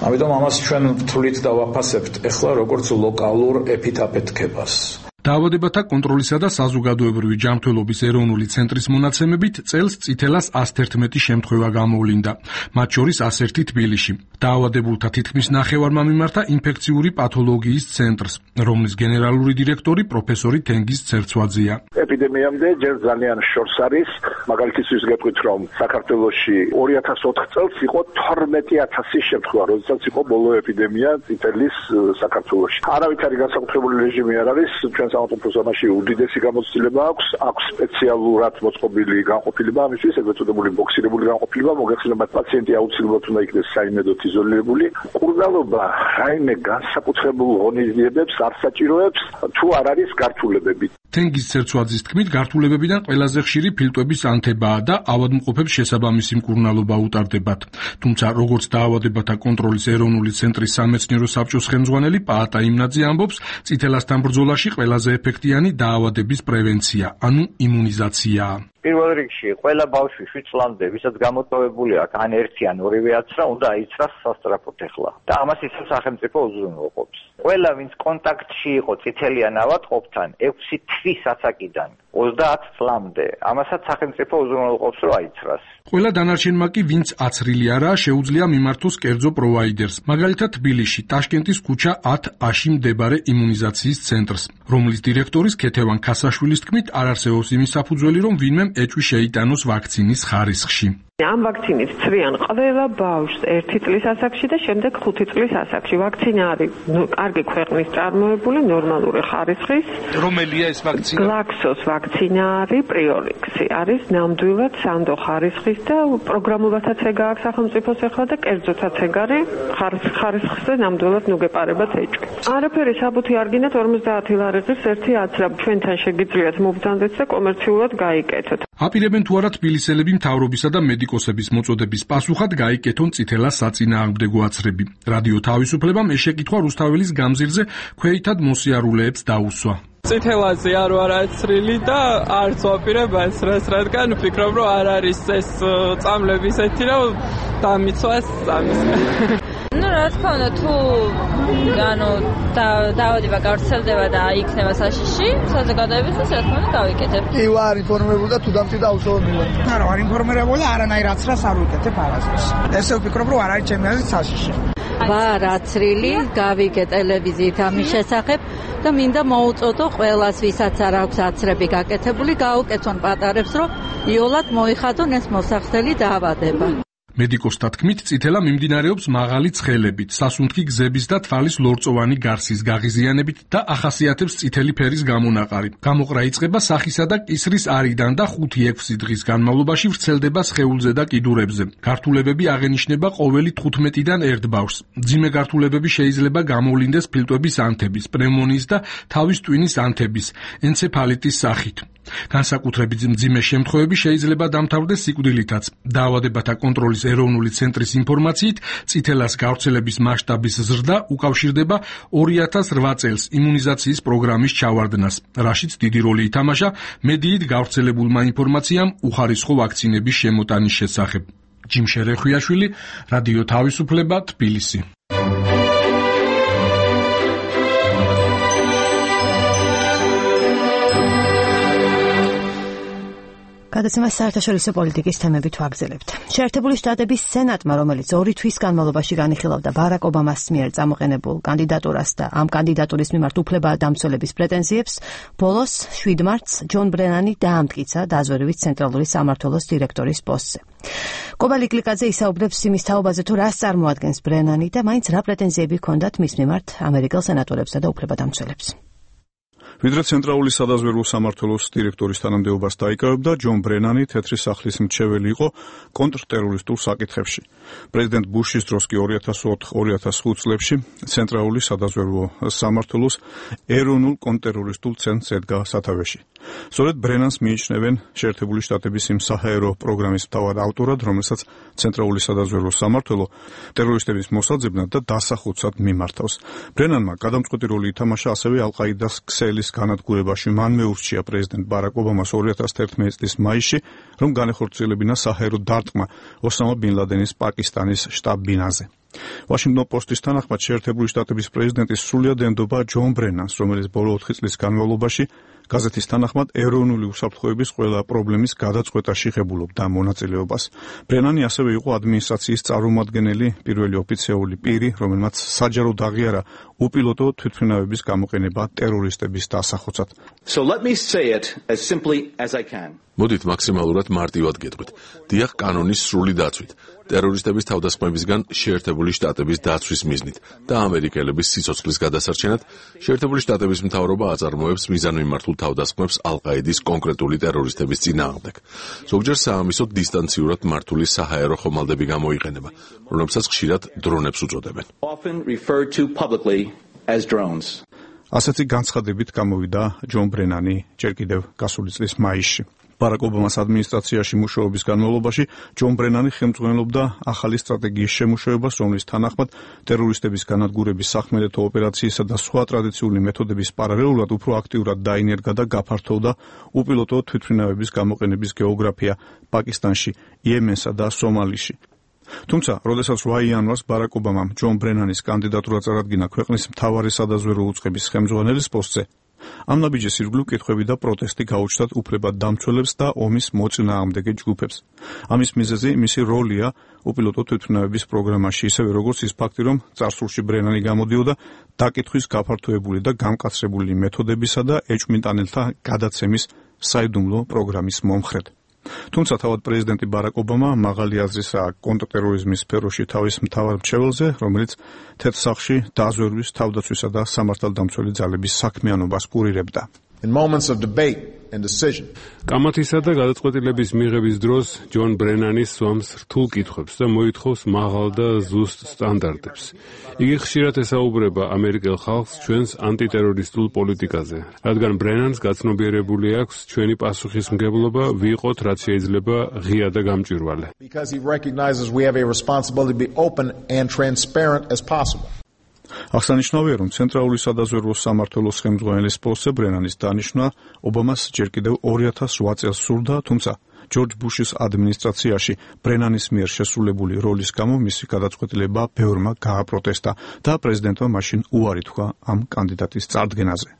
ამიტომ ამას ჩვენ თვლით და ვაფასებთ ეხლა როგორც ლოკალურ ეპიდაფეთქებას. დაავადებათა კონტროლისა და საზოგადოებრივი ჯანმრთელობის ეროვნული ცენტრის მონაცემებით წელს წითელას 111 შემთხვევა გამოვლინდა, მათ შორის 101 თბილისში. დაავადებულთა თითქმის ნახევარმა მიმართა ინფექციური პათოლოგიის ცენტრს, რომლის გენერალური დირექტორი პროფესორი თენგიზ ცერცვაძეა. ეპიდემიამდე ჯერ ძალიან შორს არის, მაგალითისთვის გეტყვით, რომ საქართველოში 2004 წელს იყო 12000 შემთხვევა, როდესაც იყო ბოლო ეპიდემია წითელის საქართველოში. არავით არის განსაკუთრებული რეჟიმი არ არის, ჩვენ სამართლებრივ ზონაში უდიდესი გამოცდილება აქვს სპეციალურად მოწყობილი განყოფილება ამისთვის, ეგრეთ წოდებული ბოქსირებული განყოფილება, მოგეხსენებათ პაციენტი აუცილებლად უნდა იქნეს საიმედოდ იზოლირებული. კურნალობა რაიმე განსაკუთრებულ ღონისძიებებს არ საჭიროებს, თუ არ არის გართულებები. თენგიზ ცერცვაძის თქმით, გართულებებიდან ყველაზე ხშირი ფილტვების ანთებაა და ავადმყოფებს შესაბამისი მკურნალობა უტარდებათ. თუმცა, როგორც დაავადებათა კონტროლის ეროვნული ცენტრის სამეცნიერო საბჭოს ხელმძღვანელი პაატა იმნაძე ამბობს, წითელასთან ბრძოლაში ყველაზე ეფექტიანი დაავადების პრევენცია, ანუ იმუნიზაციაა. პირველ რიგში ყველა ბავშვი 7 წლამდე, ვისაც გამოტოვებული აქვს ან ერთი ან ორივე აცრა, უნდა აიცრას სასწრაფოდ ეხლა. და ამას ისევ სახელმწიფო უზრუნველყოფს. ყველა ვინც კონტაქტში იყო წითელიან ავადმყოფთან 6 თვის ასაკიდან 30 წლამდე, ამასაც სახელმწიფო უზრუნველყოფს, რომ აიცრას. ყველა დანარჩენმა კი, ვინც აცრილი არაა, შეუძლია მიმართოს კერძო პროვაიდერს. მაგალითად, თბილისში, ტაშკენტის ქუჩა 10A-ში მდებარე იმუნიზაციის ცენტრს, რომლის დირექტორის ქეთევან ქასაშვილის თქმით, არ არსებობს იმის საფუძველი, რომ ვინმე ეჭვი შეიტანოს ვაქცინის ხარისხში. ამ ვაქცინით ცრიან ყველა ბავშვს 1 წლის ასაკში და შემდეგ 5 წლის ასაკში. ვაქცინა არის კარგი ქვეყნის წარმოებული, ნორმალური ხარისხის. რომელია ეს ვაქცინა? Glaxos ვაქცინა არის, Priorix-ი არის ნამდვილად სანდო ხარისხის და პროგრამულათაც ეგ აქვს სახელმწიფოს ახლა და კერძოთაც ეგ არის ხარისხზე ნამდვილად ნუგეპარებად ეჭვი. არაფერი საბუთი არ გინდათ 50 ლარიღის ერთი აცრაბ ჩვენთან შეგიძლიათ მობრძანდეთ და კომერციულად გაიკეთოთ. აპირებენ თუ არა თბილისელები მთავრობისა და მედიკოსების მოწოდების პასუხად გაიკეთონ წითელა საწინააღმდეგო აცრები. რადიო თავისუფლებამ ეს შეკითხვა რუსთაველის გამზირზე ქვეითად მოსიარულეებს დაუსვა. წითელაზე არ ვარ აცრილი და არც ვაპირებ აცრას, რადგან ვფიქრობ, რომ არ არის ეს წამლები ისეთი, რომ დამიცვას ამის. რა თქმა უნდა, თუ დაავადება გავრცელდება და იქნება საშიში, საზოგადოებისთვის რა თქმა უნდა გავიკეთებ. კი ვარ ინფორმირებული და თუ დამჭირდა აუცილებლად მივარ. არა, ვარ ინფორმირებული, არანაირ აცრას არ ვიკეთებ არასდროს. ესე ვფიქრობ, რომ არ არის ჩემი აზრით საშიში. ვარ აცრილი, გავიგე ტელევიზიით ამის შესახებ და მინდა მოუწოდო ყველას, ვისაც არ აქვს აცრები გაკეთებული, გაუკეთონ პატარებს, რომ იოლად მოიხადონ ეს მოსახდელი დაავადება. მედიკოსთა თქმით, წითელა მიმდინარეობს მაღალი ცხელებით, სასუნთქი გზების და თვალის ლორწოვანი გარსის გაღიზიანებით და ახასიათებს წითელი ფერის გამონაყარი. გამოყრა იწყება სახისა და კისრის არიდან და 5-6 დღის განმავლობაში ვრცელდება სხეულზე და კიდურებზე. გართულებები აღენიშნება ყოველი 15-დან 1 ბავშვს. მძიმე გართულებები შეიძლება გამოვლინდეს ფილტვების ანთების, პნევმონიის და თავის ტვინის ანთების, ენცეფალიტის სახით. განსაკუთრებით მძიმე შემთხვევები შეიძლება დამთავრდეს სიკვდილითაც. დაავადებათა კონტროლის ეროვნული ცენტრის ინფორმაციით, წითელას გავრცელების მასშტაბის ზრდა უკავშირდება 2008 წელს იმუნიზაციის პროგრამის ჩავარდნას, რაშიც დიდი როლი ითამაშა მედიით გავრცელებულმა ინფორმაციამ უხარისხო ვაქცინების შემოტანის შესახებ. ჯიმ შერეხვიაშვილი, რადიო თავისუფლება, თბილისი. გადაცემას საერთაშორისო პოლიტიკის თემებით ვაგრძელებთ. შეერთებული შტატების სენატმა, რომელიც 2 თვის განმავლობაში განიხილავდა ბარაკ ობამას მიერ წამოყენებულ კანდიდატურას და ამ კანდიდატურის მიმართ უფლება-დამცველების პრეტენზიებს, ბოლოს 7 მარტს ჯონ ბრენანი დაამტკიცა დაზვერვის ცენტრალური სამმართველოს დირექტორის პოსტზე. კობალი კლიკაძე ისაუბრებს იმის თაობაზე, თუ რას წარმოადგენს ბრენანი და მაინც რა პრეტენზიები ჰქონდათ მის მიმართ ამერიკელ სენატორებსა და უფლება-დამცველებს. ვიდრე ცენტრალური სადაზვერვო სამმართველოს დირექტორის თანამდებობას დაიკავებდა, ჯონ ბრენანი თეთრი სახლის მრჩეველი იყო კონტრტერორისტულ საკითხებში. პრეზიდენტ ბუშის დროს კი 2004-2005 წლებში ცენტრალური სადაზვერვო სამმართველოს ეროვნულ კონტრტერორისტულ ცენტრს ედგა სათავეში. სწორედ ბრენანს მიიჩნევენ შეერთებული შტატების იმ საჰაერო პროგრამის მთავარ ავტორად, რომელსაც ცენტრალური სადაზვერვო სამმართველო ტერორისტების მოსაძებნად და დასახოცად მიმართავს. ბრენანმა გადამწყვეტი როლი ითამაშა ასევე ალ-ყაიდას ქსელის განადგურებაში. მან მეურჩია პრეზიდენტ ბარაკ ობამას 2011 წლის მაისში, რომ განეხორციელებინა საჰაერო დარტყმა ოსამა ბინ ლადენის პაკისტანის შტაბ-ბინაზე. Washington Post-ის თანახმად შეერთებული შტატების პრეზიდენტის სრულიად ენდობა ჯონ ბრენანს, რომელიც ბოლო 4 წლის განმავლობაში გაზეთის თანახმად ეროვნული უსაფრთხოების ყველა პრობლემის გადაწყვეტაში ღებულობდა მონაწილეობას. ბრენანი ასევე იყო ადმინისტრაციის წარმომადგენელი, პირველი ოფიციალური პირი, რომელმაც საჯაროდ აღიარა უპილოტო თვითმფრინავების გამოყენება ტერორისტების დასახოცად. So let me say it as simply as I can. მოდით მაქსიმალურად მარტივად გეტყვით. დიახ, კანონის სრული დაცვით, ტერორისტების თავდასხმებისგან შეერთებული შტატების დაცვის მიზნით და ამერიკელების სიცოცხლის გადასარჩენად შეერთებული შტატების მთავრობა აწარმოებს მიზანმიმართულ თავდასხმებს ალ-ყაიდის კონკრეტული ტერორისტების წინააღმდეგ. ზოგჯერ საამისოდ დისტანციურად მართული საჰაერო ხომალდები გამოიყენება, რომლებსაც ხშირად დრონებს უწოდებენ. Often referred to publicly as drones. ასეთი განცხადებით გამოვიდა ჯონ ბრენანი ჯერ კიდევ გასული წლის მაისში. ბარაკ ობამას ადმინისტრაციაში მუშაობის განმავლობაში ჯონ ბრენანი ხელმძღვანელობდა ახალი სტრატეგიის შემუშავებას, რომლის თანახმად ტერორისტების განადგურების სახმელეთო ოპერაციისა და სხვა ტრადიციული მეთოდების პარალელურად უფრო აქტიურად დაინერგა და გაფართოვდა უპილოტო თვითმფრინავების გამოყენების გეოგრაფია პაკისტანში, იემენსა და სომალიში. თუმცა, როდესაც 8 იანვარს ბარაკ ობამამ ჯონ ბრენანის კანდიდატურა წარადგინა ქვეყნის მთავარი სადაზვერვო უწყების ხელმძღვანელის პოსტზე, ამ ნაბიჯის ირგვლივ კითხვები და პროტესტი გაუჩნდათ უფლება-დამცველებს და ომის მოწინააღმდეგე ჯგუფებს. ამის მიზეზი მისი როლია უპილოტო თვითმფრინავების პროგრამაში, ისევე როგორც ის ფაქტი, რომ წარსულში ბრენანი გამოდიოდა დაკითხვის გაფართოებული და გამკაცრებული მეთოდებისა და ეჭვმიტანელთა გადაცემის საიდუმლო პროგრამის მომხრედ. თუმცა თავად პრეზიდენტი ბარაკ ობამა მაღალი აზრისაა კონტრტერორიზმის სფეროში თავის მთავარ მრჩეველზე, რომელიც თეთრ სახლში დაზვერვის, თავდაცვისა და სამართალდამცველი ძალების საქმიანობას კურირებდა. In moments of debate and decision. კამათისა და გადაწყვეტილების მიღების დროს ჯონ ბრენანი სვამს რთულ კითხვებს და მოითხოვს მაღალ და ზუსტ სტანდარტებს. იგი ხშირად ესაუბრება ამერიკელ ხალხს ჩვენს ანტიტერორისტულ პოლიტიკაზე, რადგან ბრენანს გაცნობიერებული აქვს ჩვენი პასუხისმგებლობა ვიყოთ რაც შეიძლება ღია და გამჭვირვალე. Because he recognizes we have a responsibility to be open and transparent as possible. აღსანიშნავია, რომ ცენტრალური სადაზვერვო სამმართველოს ხელმძღვანელის პოსტზე ბრენანის დანიშვნა ობამას ჯერ კიდევ 2008 წელს სურდა, თუმცა ჯორჯ ბუშის ადმინისტრაციაში ბრენანის მიერ შესრულებული როლის გამო მისი გადაწყვეტილება ბევრმა გააპროტესტა და პრეზიდენტმა მაშინ უარი თქვა ამ კანდიდატის წარდგენაზე.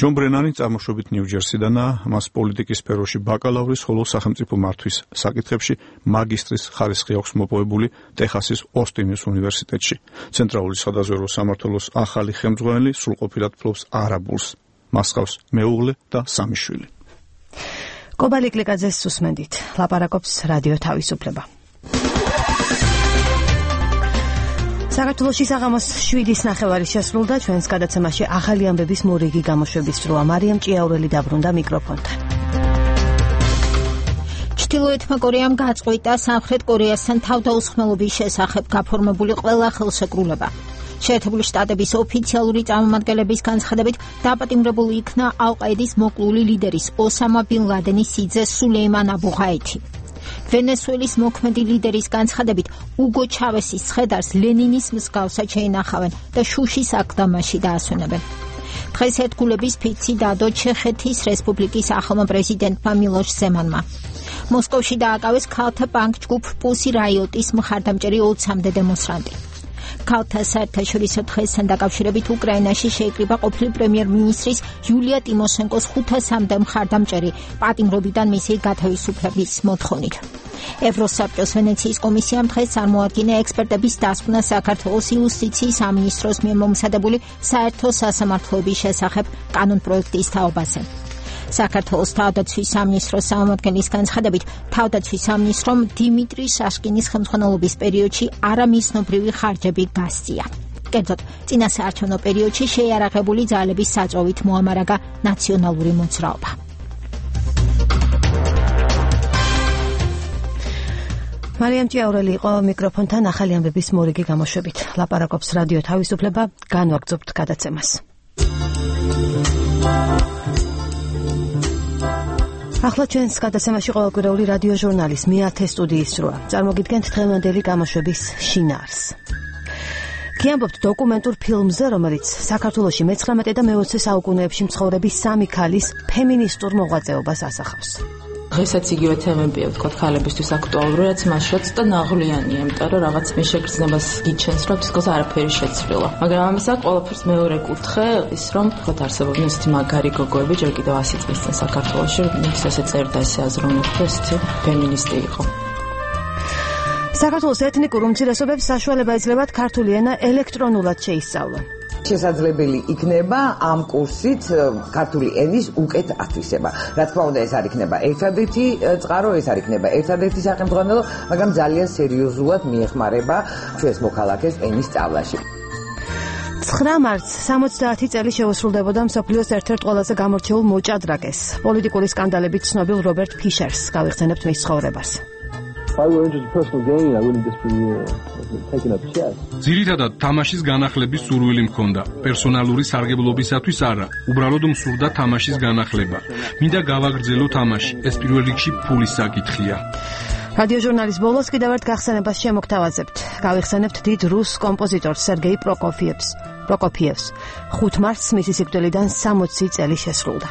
ჯონ ბრენანი წარმოშობით ნიუ-ჯერსიდანაა, მას პოლიტიკის სფეროში ბაკალავრის, ხოლო სახელმწიფო მართვის საკითხებში მაგისტრის ხარისხი აქვს მოპოვებული ტეხასის ოსტინის უნივერსიტეტში. ცენტრალური სადაზვერვო სამმართველოს ახალი ხელმძღვანელი სრულყოფილად ფლობს არაბულს. მას ჰყავს მეუღლე და 3 შვილი. კობალი კლიკაძეს უსმენდით. ლაპარაკობს რადიო თავისუფლება. საქართველოში საღამოს 7:09 შესრულდა ჩვენს გადაცემაში ახალი ამბების მორიგი გამოშვების დროა. მარიამ ჭიაურელი დაბრუნდა მიკროფონთან. ჩრდილოეთმა კორეამ გაწყვიტა სამხრეთ კორეასთან თავდაუსხმელობის შესახებ გაფორმებული ყველა ხელშეკრულება. შეერთებული შტატების ოფიციალური წარმომადგენლების განცხადებით დაპატიმრებული იქნა ალ-ყაიდის მოკლული ლიდერის ოსამა ბინ ლადენის სიძე სულეიმან აბუ-ღაითი. ვენესუელის მოქმედი ლიდერის განცხადებით უგო ჩავესის ცხედარს ლენინის მსგავსად შეინახავენ და შუშის აკლდამაში დაასვენებენ. დღეს ერთგულების ფიცი დადო ჩეხეთის რესპუბლიკის ახალმა პრეზიდენტმა მილოშ ზემანმა. მოსკოვში დააკავეს ქალთა ბანკ ჯგუფ პუსი რაიოტის მხარდამჭერი 20-მდე დემონსტრანტი. ქალთა საერთაშორისო დღესთან დაკავშირებით უკრაინაში შეიკრიბა ყოფილი პრემიერ-მინისტრის იულია ტიმოშენკოს 500-მდე მხარდამჭერი პატიმრობიდან მისი გათავისუფლების მოთხოვნით. ევროსაბჭოს ვენეციის კომისიამ დღეს წარმოადგინა ექსპერტების დასკვნა საქართველოს იუსტიციის სამინისტროს მიერ მომზადებული საერთო სასამართლოების შესახებ კანონპროექტის თაობაზე. საქართველოს თავდაცვის სამინისტროს წარმომადგენლის განცხადებით, თავდაცვის სამინისტრომ დიმიტრი შაშკინის ხელმძღვანელობის პერიოდში არამიზნობრივი ხარჯები გასწია. კერძოდ, წინასაარჩევნო პერიოდში შეიარაღებული ძალების საწვევით მოამარაგა ნაციონალური მოძრაობა. მარიამ ჭიაურელი იყო მიკროფონთან ახალი ამბების მორიგი გამოშვებით. ლაპარაკობს რადიო თავისუფლება, განვაგრძობთ გადაცემას. ახლა ჩვენს გადაცემაში ყოველკვირეული რადიო ჟურნალის მე-10 სტუდიის სროა. წარმოგიდგენთ დღევანდელი გამოშვების შინაარს. გიამბობთ დოკუმენტურ ფილმზე, რომელიც საქართველოში მე-19 და მე-20 საუკუნეებში მცხოვრების 3 ქალის ფემინისტურ მოღვაწეობას ასახავს. დღესაც იგივე თემებია, ვთქვათ, ქალებისთვის აქტუალური, რაც მაშაც და ნაღვლიანია, იმიტომ რომ რაღაც მე შეგრძნებას გიჩენს, რომ თითქოს არაფერი შეცვლილა. მაგრამ ამისა ყველაფერს მეორე კუთხე ის, რომ ვთქვათ, არსებობენ ისეთი მაგარი გოგოები, ჯერ კიდევ 100 წლის წინ საქართველოში, ვინც ესე წერდა, ესე აზროვნებდა, ესეთი ფემინისტი იყო. საქართველოს ეთნიკურ უმცირესობებს საშუალება ეძლებათ ქართული ენა ელექტრონულად შეისწავლონ. შესაძლებელი იქნება ამ კურსით ქართული ენის უკეთ ათვისება. რა თქმა უნდა, ეს არ იქნება ერთადერთი წყარო, ეს არ იქნება ერთადერთი სახელმძღვანელო, მაგრამ ძალიან სერიოზულად მიეხმარება ჩვენს მოქალაქეს ენის სწავლაში. 9 მარტს 70 წელი შეუსრულდებოდა მსოფლიოს ერთ-ერთ ყველაზე გამორჩეულ მოჭადრაკეს, პოლიტიკური სკანდალებით ცნობილ რობერტ ფიშერს. გავიხსენებთ მის ცხოვრებას. ძირითადად თამაშის განახლების სურვილი მქონდა. პერსონალური სარგებლობისათვის არა, უბრალოდ მსურდა თამაშის განახლება. მინდა გავაგრძელო თამაში, ეს პირველ რიგში ფულის საკითხია. რადიო ჟურნალის ბოლოს კიდევ ერთ გახსენებას შემოგთავაზებთ. გავიხსენებთ დიდ რუს კომპოზიტორ სერგეი პროკოფიევს. 5 მარტს მისი სიკვდილიდან 60 წელი შესრულდა.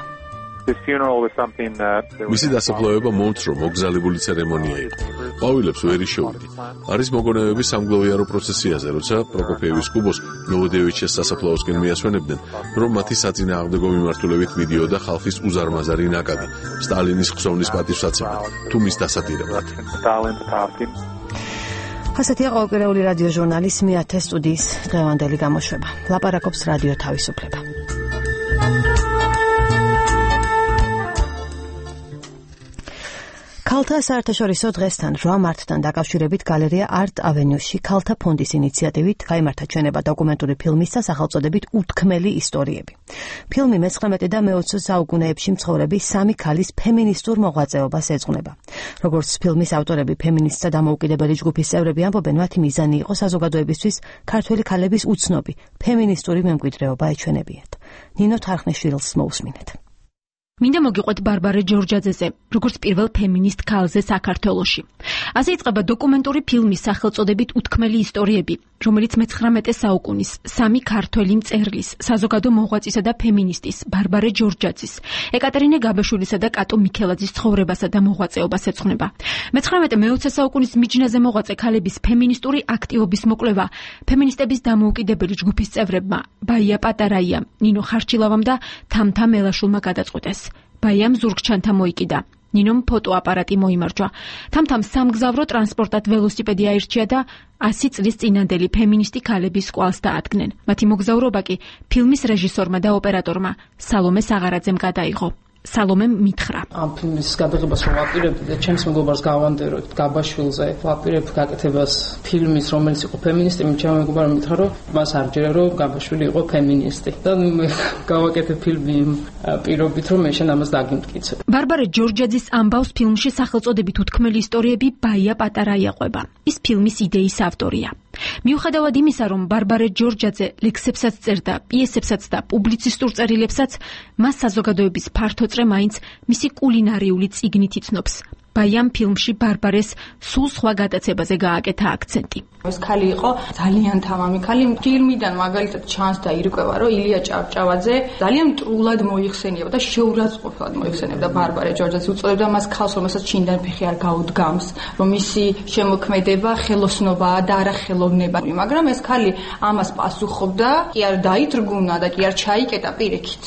მისი დასაფლავება მომცრო მოგზალებული ცერემონია იყო. ყვავილებს ვერ იშოვიდი. არის მოგონებები სამგლოვიარო პროცესიაზე, როცა პროკოფიევის კუბოს ნოვოდევიჩეს სასაფლაოსკენ მიასვენებდნენ, რომ მათი საწინააღმდეგო მიმართულებით მიდიოდა ხალხის უზარმაზარი ნაკადი, სტალინის ხსოვნის პატივსაცემად, თუ მის დასადირებლად. ასეთია ყოველკვირეული რადიო ჟურნალის მე-10 სტუდიის დღევანდელი გამოშვება. ლაპარაკობს რადიო თავისუფლება. ქალთა საერთაშორისო დღესთან 8 მარტთან დაკავშირებით გალერეა Art Avenue-ში ქალთა ფონდის ინიციატივით გაიმართა ჩვენება დოკუმენტური ფილმის და სახელწოდებით უთქმელი ისტორიები. ფილმი მე-19 და მე-20 საუკუნეებში მცხოვრები 3 ქალის ფემინისტურ მოღვაწეობას ეძღვნება. როგორც ფილმის ავტორები ფემინისტთა დამოუკიდებელი ჯგუფის წევრები ამბობენ, მათი მიზანი იყო საზოგადოებისთვის ქართველი ქალების უცნობი ფემინისტური მემკვიდრეობა ეჩვენებიათ. ნინო თარხნიშვილს მოусმინეთ. მინდა მოგიყვეთ ბარბარე ჯორჯაძეზე, როგორც პირველ ფემინისტ ქალზე საქართველოში. ასე იწყება დოკუმენტური ფილმის სახელწოდებით უთქმელი ისტორიები, რომელიც მე-19 საუკუნის 3 ქართველი მწერლის, საზოგადო მოღვაწისა და ფემინისტის, ბარბარე ჯორჯაძის, ეკატერინე გაბაშვილისა და კატო მიქელაძის ცხოვრებასა და მოღვაწეობას ეძღვნება. მე-19-მე-20 საუკუნის მიჯნაზე მოღვაწე ქალების ფემინისტური აქტივობის მოკვლევა ფემინისტების დამოუკიდებელი ჯგუფის წევრებმა, ბაია პატარაიამ, ნინო ხარჩილავამ და თამთა მელაშულმა გადაწყვეტეს. ბაიამ ზურგჩანთა მოიკიდა. ნინომ ფოტოაპარატი მოიმარჯვა. თამთამ სამგზავრო ტრანსპორტად ველოსიპედი აირჩია და 100 წლის წინანდელი ფემინისტი ქალების კვალს დაადგნენ. მათი მოგზაურობა კი ფილმის რეჟისორმა და ოპერატორმა სალომე საღარაძემ გადაიღო. სალომემ მითხრა. ამ ფილმის გადაღებას რომ ვაპირებდი და ჩემს მეგობარს გავანდეროთ გაბაშვილზე, ვაპირებ გაკეთებას ფილმის, რომელიც იყო ფემინისტი, ჩემო მეგობარმა მითხრა, რომ მას არ ჯერა რომ გაბაშვილი იყო ფემინისტი. და გავაკეთე ფილმი პირობით, რომ მე შენ ამას დაგიმტკიცე. ბარბარე ჯორჯაძის ამბავს ფილმში სახელწოდებით უთქმელი ისტორიები ბაია პატარაია ყვება. ის ფილმის იდეის ავტორია. მიუხედავად იმისა, რომ ბარბარე ჯორჯაძე ლექსებსაც წერდა, პიესებსაც და პუბლიცისტურ წერილებსაც, მას საზოგადოების ფართო წრე მაინც მისი კულინარიული წიგნით იცნობს. ბაიამ ფილმში ბარბარეს სულ სხვა გადაცებაზე გააკეთა აქცენტი. ეს ქალი იყო ძალიან თამამი ქალი. ფილმიდან მაგალითად ჩანს და ირკვევა, რომ ილია ჭავჭავაძე ძალიან მტრულად მოიხსენიებდა და შეურაცხყოფილად მოიხსენიებდა ბარბარე ჯორჯაძეს. უწოდებდა მას ქალს, რომელსაც ჩინდან ფეხი არ გაუდგამს, რომ მისი შემოქმედება ხელოსნობაა და არა ხელოვნება. მაგრამ ეს ქალი ამას პასუხობდა, კი არ დაიძრგუნა და კი არ ჩაიკეტა პირიქით.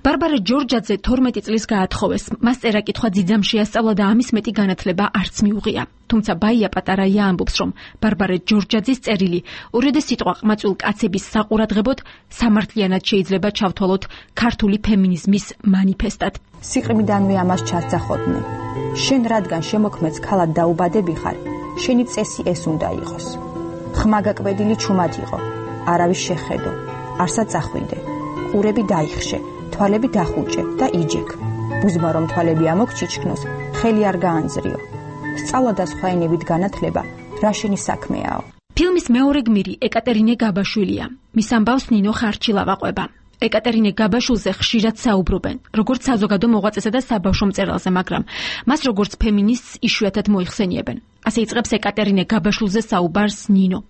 ბარბარე ჯორჯაძე 12 წლის გაათხოვეს. მას წერა-კითხვა ძიძამ შეასწავლა და ამის მეტი განათლება არც მიუღია. თუმცა ბაია პატარაია ამბობს, რომ ბარბარე ჯორჯაძის წერილი ორედე სიტყვა ყმაწვილ კაცების საყურადღებოდ სამართლიანად შეიძლება ჩავთვალოთ ქართული ფემინიზმის მანიფესტად. სიყრმიდანვე ამას ჩასძახოდნენ. შენ რადგან შემოქმედს ქალად დაუბადები ხარ, შენი წესი ეს უნდა იყოს. ხმა გაკვედილი ჩუმად იყო, არავის შეხედო, არსად წახვიდე. ყურები დაიხშე, თვალები დახუჭე და იჯეკ. ბუზმა რომ თვალები ამოგჩიჩქნოს, ხელი არ გაანძრიო. სწავლა და სხვა ენებით განათლება რა შენი საქმეაო. ფილმის მეორე გმირი ეკატერინე გაბაშვილია. მის ამბავს ნინო ხარჩილავა ყვება. ეკატერინე გაბაშვილზე ხშირად საუბრობენ, როგორც საზოგადო მოღვაწესა და საბავშვო მწერალზე, მაგრამ მას როგორც ფემინისტს იშვიათად მოიხსენიებენ. ასე იწყებს ეკატერინე გაბაშვილზე საუბარს ნინო.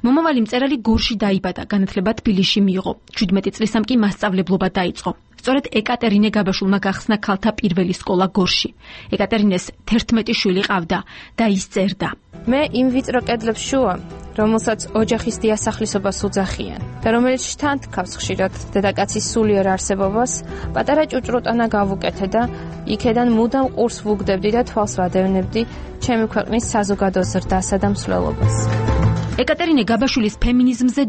მომავალი მწერალი გორში დაიბადა, განათლება თბილისში მიიღო. 17 წლისამ კი მასწავლებლობა დაიწყო. სწორედ ეკატერინე გაბაშვილმა გახსნა ქალთა პირველი სკოლა გორში. ეკატერინეს 11 შვილი ყავდა და ის წერდა. მე იმ ვიწრო კედლებს შუა, რომელსაც ოჯახის დიასახლისობას უძახიან და რომელიც შთანთქავს ხშირად დედაკაცის სულიერ არსებობას, პატარა ჭუჭრუტანა გავუკეთე და იქედან მუდამ ყურს ვუგდებდი და თვალს ვადევნებდი ჩემი ქვეყნის საზოგადო ზრდასა და მსვლელობას. ეკატერინე გაბაშვილის ფემინიზმზე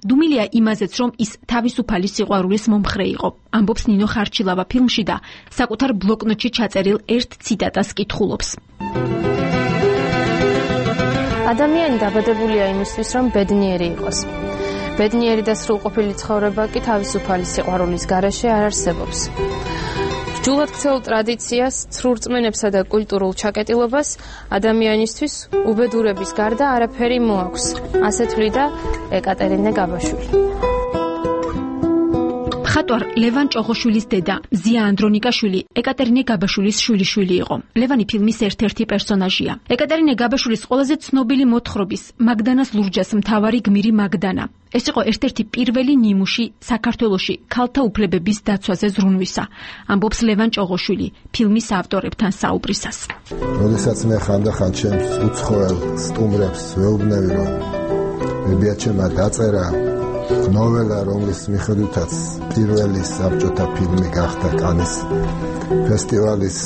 დუმილია იმაზეც, რომ ის თავისუფალი სიყვარულის მომხრე იყო. ამბობს ნინო ხარჩილავა ფილმში და საკუთარ ბლოკნოტში ჩაწერილ ერთ ციტატას კითხულობს. ადამიანი დაბადებულია იმისთვის, რომ ბედნიერი იყოს. ბედნიერი და სრულყოფილი ცხოვრება კი თავისუფალი სიყვარულის გარეშე არ არსებობს. ჯულად ქცეულ ტრადიციას, ცრურწმენებსა და კულტურულ ჩაკეტილობას ადამიანისთვის უბედურების გარდა არაფერი მოაქვს. ასე თვლიდა ეკატერინე გაბაშვილი. მხატვარ ლევან ჭოღოშვილის დედა, ზია ანდრონიკაშვილი, ეკატერინე გაბაშვილის შვილიშვილი იყო. ლევანი ფილმის ერთ-ერთი პერსონაჟია. ეკატერინე გაბაშვილის ყველაზე ცნობილი მოთხრობის, მაგდანას ლურჯას მთავარი გმირი მაგდანა. ეს იყო ერთ-ერთი პირველი ნიმუში საქართველოში ქალთა უფლებების დაცვაზე ზრუნვისა. ამბობს ლევან ჭოღოშვილი ფილმის ავტორებთან საუბრისას. როდესაც მე ხანდახან ჩემს უცხოელ სტუმრებს ვეუბნები, რომ მებიაჩემა დაწერა ნოველა, რომლის მიხედვითაც პირველი საბჭოთა ფილმი გახდა კანის ფესტივალის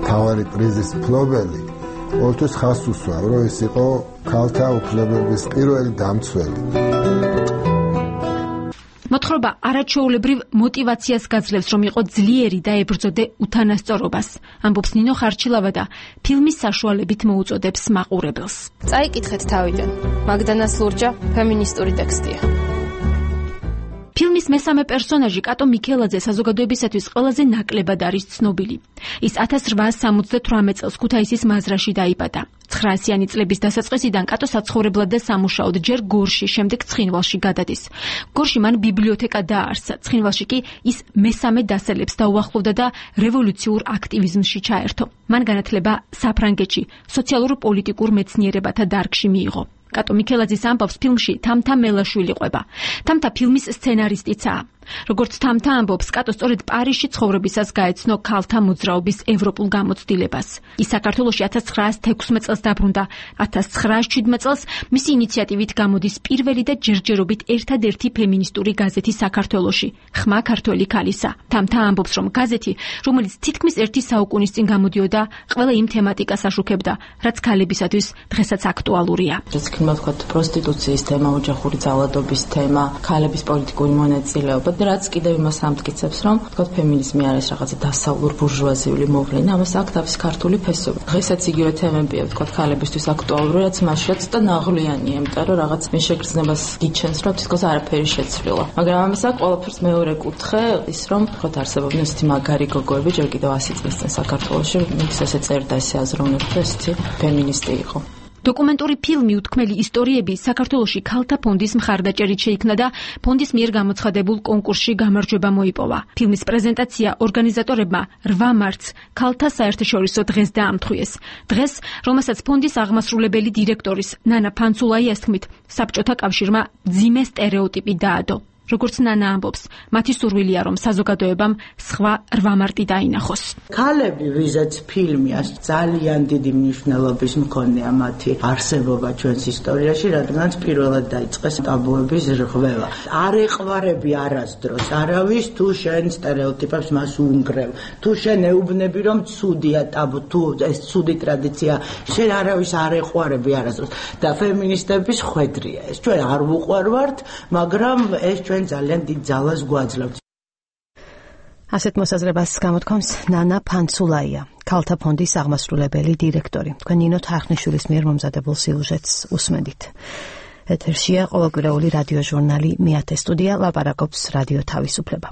მთავარი პრიზის მფლობელი, ყოველთვის ხაზს უსვამ, რომ ის იყო ქალთა უფლებების პირველი დამცველი. მოთხრობა არაჩვეულებრივ მოტივაციას გაძლევს, რომ იყო ძლიერი და ებრძოდე უთანასწორობას. ამბობს ნინო ხარჩილავა და ფილმის საშუალებით მოუწოდებს მაყურებელს. წაიკითხეთ თავიდან. მაგდანას ლურჯა ფემინისტური ტექსტია. ფილმის მესამე პერსონაჟი კატო მიქელაძე საზოგადოებისათვის ყველაზე ნაკლებად არის ცნობილი. ის 1878 წელს ქუთაისის მაზრაში დაიბადა. 900-იანი წლების დასაწყისიდან კატო საცხოვრებლად და სამუშაოდ ჯერ გორში, შემდეგ ცხინვალში გადადის. გორში მან ბიბლიოთეკა დააარსა, ცხინვალში კი ის მესამე დასელებს დაუახლოვდა და რევოლუციურ აქტივიზმში ჩაერთო. მან განათლება საფრანგეთში, სოციალურ-პოლიტიკურ მეცნიერებათა დარგში მიიღო. კატო მიქელაძის ამბავს ფილმში თამთა მელაშვილი ყვება. თამთა ფილმის სცენარისტიცაა. როგორც თამთა ამბობს, კატო სწორედ პარიზში ცხოვრებისას გაეცნო ქალთა მოძრაობის ევროპულ გამოცდილებას. ის საქართველოში 1916 წელს დაბრუნდა. 1917 წელს მისი ინიციატივით გამოდის პირველი და ჯერჯერობით ერთადერთი ფემინისტური გაზეთი საქართველოში, ხმა ქართველი ქალისა. თამთა ამბობს, რომ გაზეთი, რომელიც თითქმის ერთი საუკუნის წინ გამოდიოდა, ყველა იმ თემატიკას აშუქებდა, რაც ქალებისათვის დღესაც აქტუალურია. ვთქვათ, პროსტიტუციის თემა, ოჯახური ძალადობის თემა, ქალების პოლიტიკური მონაწილეობა და რაც კიდევ იმას ამტკიცებს, რომ ვთქვათ, ფემინიზმი არის რაღაცა დასავლურ ბურჟუაზიული მოვლენა, ამას აქვს თავის ქართული ფესვები. დღესაც იგივე თემებია, ვთქვათ, ქალებისთვის აქტუალური, რაც მაშრაც და ნაღვლიანია, იმიტომ რომ რაღაც მე შეგრძნებას გიჩენს, რომ თითქოს არაფერი შეცვლილა. მაგრამ ამას აქვს ყველაფერს მეორე კუთხე, ის რომ ვთქვათ, არსებობდნენ ისეთი მაგარი გოგოები, ჯერ კიდევ 100 წლის წინ საქართველოში, ვინც ესე წერდა, ესე აზროვნებდა, ესეთი ფემინისტი იყო. დოკუმენტური ფილმი უთქმელი ისტორიები საქართველოში ქალთა ფონდის მხარდაჭერით შეიქმნა და ფონდის მიერ გამოცხადებულ კონკურსში გამარჯვება მოიპოვა. ფილმის პრეზენტაცია ორგანიზატორებმა 8 მარტს ქალთა საერთაშორისო დღეს დაამთხვიეს. დღეს, რომელსაც ფონდის აღმასრულებელი დირექტორის ნანა ფანცულაიას თქმით, საბჭოთა კავშირმა მძიმე სტერეოტიპი დაადო. როგორც ნანა ამბობს, მათი სურვილია, რომ საზოგადოებამ სხვა 8 მარტი დაინახოს. ქალები, ვიზაც ფილმი ძალიან დიდი მნიშვნელობის მქონეა მათი არსებობა ჩვენს ისტორიაში, რადგანაც პირველად დაიწყეს ტაბუების რღვევა. არ ეყვარები არასდროს არავის, თუ შენ სტერეოტიპებს მას უნგრევ, თუ შენ ეუბნები, რომ ცუდია ტაბუ, თუ ეს ცუდი ტრადიცია, შენ არავის არ ეყვარები არასდროს. და ფემინისტების ხვედრია ეს. ჩვენ არ ვუყვარვართ, მაგრამ ეს ჩვენ ძალიან დიდ ძალას გვაძლევთ. ასეთ მოსაზრებას გამოთქვამს ნანა ფანცულაია, ქალთა ფონდის აღმასრულებელი დირექტორი. თქვენ ნინო თარხნიშვილის მიერ მომზადებულ სიუჟეტს უსმენთ. ეთერშია ყოველკვირეული რადიო ჟურნალი მეათე სტუდია, ლაპარაკობს რადიო თავისუფლება.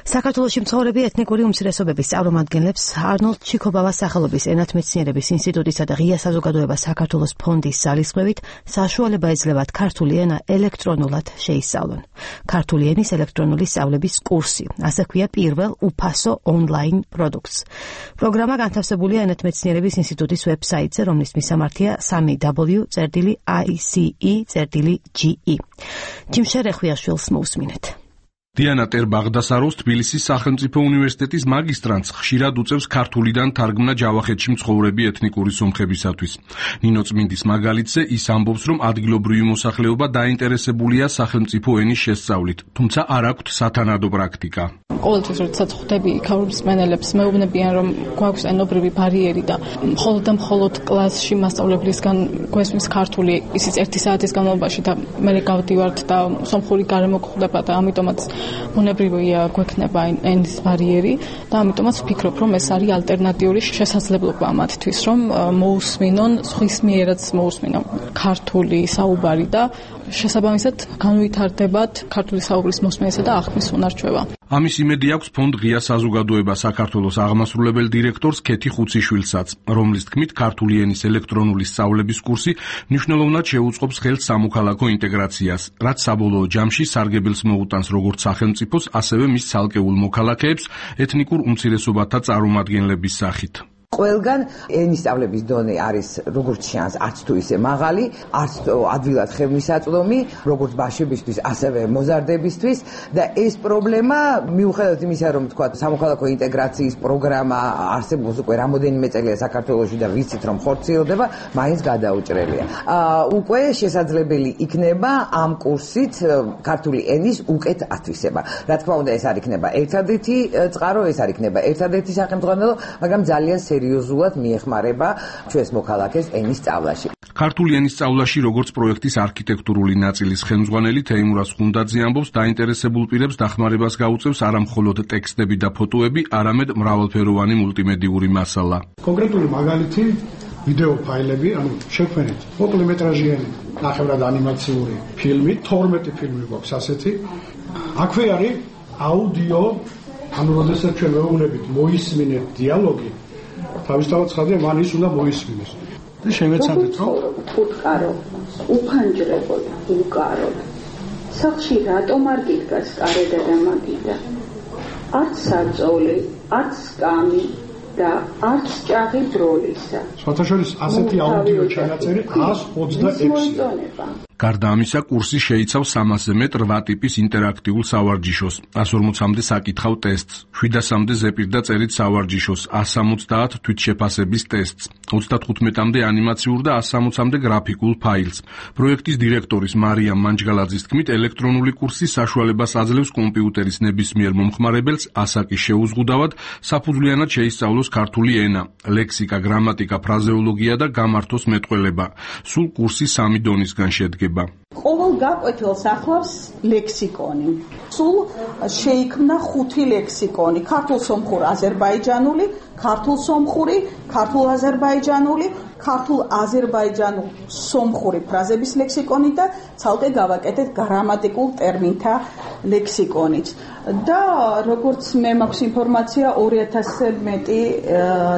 საქართველოში მცხოვრები ეთნიკური უმცირესობების წარმომადგენლებს არნოლდ ჩიქობავას სახელობის ენათმეცნიერების ინსტიტუტისა და ღია საზოგადოება საქართველოს ფონდის ძალისხმევით საშუალება ეძლევათ ქართული ენა ელექტრონულად შეისწავლონ. ქართული ენის ელექტრონული სწავლების კურსი, ასე ქვია პირველ უფასო ონლაინ პროდუქტს. პროგრამა განთავსებულია ენათმეცნიერების ინსტიტუტის ვებსაიტზე, რომლის მისამართია www.ice.ge. ჯიმშერ ეხვიაშვილს მოусმინეთ. დიანა ტერ-ბაღდასაროს თბილისის სახელმწიფო უნივერსიტეტის მაგისტრანტს ხშირად უწევს ქართულიდან თარგმნა ჯავახეთში მცხოვრები ეთნიკური სომხებისათვის. ნინო წმინდის მაგალითზე ის ამბობს, რომ ადგილობრივი მოსახლეობა დაინტერესებულია სახელმწიფო ენის შესწავლით, თუმცა არ აქვთ სათანადო პრაქტიკა. ყოველთვის როდესაც ხვდები იქაურ მსმენელებს, მეუბნებიან, რომ გვაქვს ენობრივი ბარიერი და მხოლოდ კლასში მასწავლებლისგან გვესმის ქართული, ისიც 1 საათის განმავლობაში და მე გავდივართ და სომხური გარემო გვხვდება და ამიტომაც უნებრივია გვექნება ენის ბარიერი და ამიტომაც ვფიქრობ, რომ ეს არის ალტერნატიული შესაძლებლობა მათთვის, რომ მოусმინონ, სხვისმიერად მოусმინონ ქართული საუბარი და შესაბამისად განვითარდებათ ქართული საუბრის მოსმენისა და აღქმის უნარჩვევა. ამის იმედი აქვს ფონდ ღია საზოგადოება საქართველოს აღმასრულებელ დირექტორს ქეთი ხუციშვილსაც, რომლის თქმით ქართული ენის ელექტრონული სწავლების კურსი მნიშვნელოვნად შეუწყობს ხელს სამოქალაქო ინტეგრაციას, რაც საბოლოო ჯამში სარგებელს მოუტანს როგორც სახელმწიფოს, ასევე მის ცალკეულ მოქალაქეებს ეთნიკურ უმცირესობათა წარმომადგენლების სახით. ყველგან ენის სწავლების დონე არის როგორც შანს, არც თუ ისე მაღალი, არც ადვილად ხელმისაწვდომი, როგორც ბავშვებისთვის, ასევე მოზარდებისთვის და ეს პრობლემა მიუხედავად იმისა, რომ თქვა სამოქალაქო ინტეგრაციის პროგრამა არსებობს უკვე რამოდენიმე წელია საქართველოში და ვიცით რომ ხორციელდება, მაინც გადაუჭრელია. უკვე შესაძლებელი იქნება ამ კურსით ქართული ენის უკეთ ათვისება. რა თქმა უნდა, ეს არ იქნება ერთადერთი წყარო, ეს არ იქნება ერთადერთი სახელმძღვანელო, მაგრამ ძალიან სერიოზულად მიეხმარება ჩვენს მოქალაქეს ენის სწავლაში. ქართული ენის სწავლაში როგორც პროექტის არქიტექტურული ნაწილის ხელმძღვანელი თეიმურაზ ხუნდაძე ამბობს, დაინტერესებულ პირებს დახმარებას გაუწევს არა მხოლოდ ტექსტები და ფოტოები, არამედ მრავალფეროვანი მულტიმედიური მასალა. კონკრეტული მაგალითი ვიდეო ფაილები, ანუ შექმნით მოკლემეტრაჟიანი ნახევრად ანიმაციური ფილმი, 12 ფილმი გვაქვს ასეთი. აქვე არის აუდიო, ანუ როდესაც ჩვენ ვეუბნებით მოისმინეთ დიალოგი, თავისთავად ცხადია, მან ის უნდა მოისმინეს. და შევეცადეთ, რომ უთყარო, უფანჯრებო, უკარო. სახში რატომ არ გიდგას კარედა და მაგიდა? არც საწოლი, არც სკამი და არც ჭაღი ბროლისა. სხვათაშორის ასეთი აუდიო ჩანაწერი 126. გარდა ამისა, კურსი შეიცავს 300-ზე მეტ 8 ტიპის ინტერაქტიულ სავარჯიშოს, 140-მდე საკითხავ ტესტს, 700-მდე ზეპირ და წერით სავარჯიშოს, 170 თვითშეფასების ტესტს, 35-მდე ანიმაციურ და 160-მდე გრაფიკულ ფაილს. პროექტის დირექტორის მარიამ მანჯგალაძის თქმით, ელექტრონული კურსი საშუალებას აძლევს კომპიუტერის ნებისმიერ მომხმარებელს ასაკის შეუზღუდავად საფუძვლიანად შეისწავლოს ქართული ენა, ლექსიკა, გრამატიკა, ფრაზეოლოგია და გამართოს მეტყველება. სულ კურსი 3 დონისგან შედგება. ყოველ გაკვეთილს ახლავს ლექსიკონი. სულ შეიქმნა 5 ლექსიკონი: ქართულ-სომხურ აზერბაიჯანული, ქართულ-სომხური, ქართულ-აზერბაიჯანული, ქართულ-აზერბაიჯანულ სომხური ფრაზების ლექსიკონი და ცალკე გავაკეთეთ გრამატიკულ ტერმინთა ლექსიკონიც. და როგორც მე მაქვს ინფორმაცია, 2000-ზე მეტი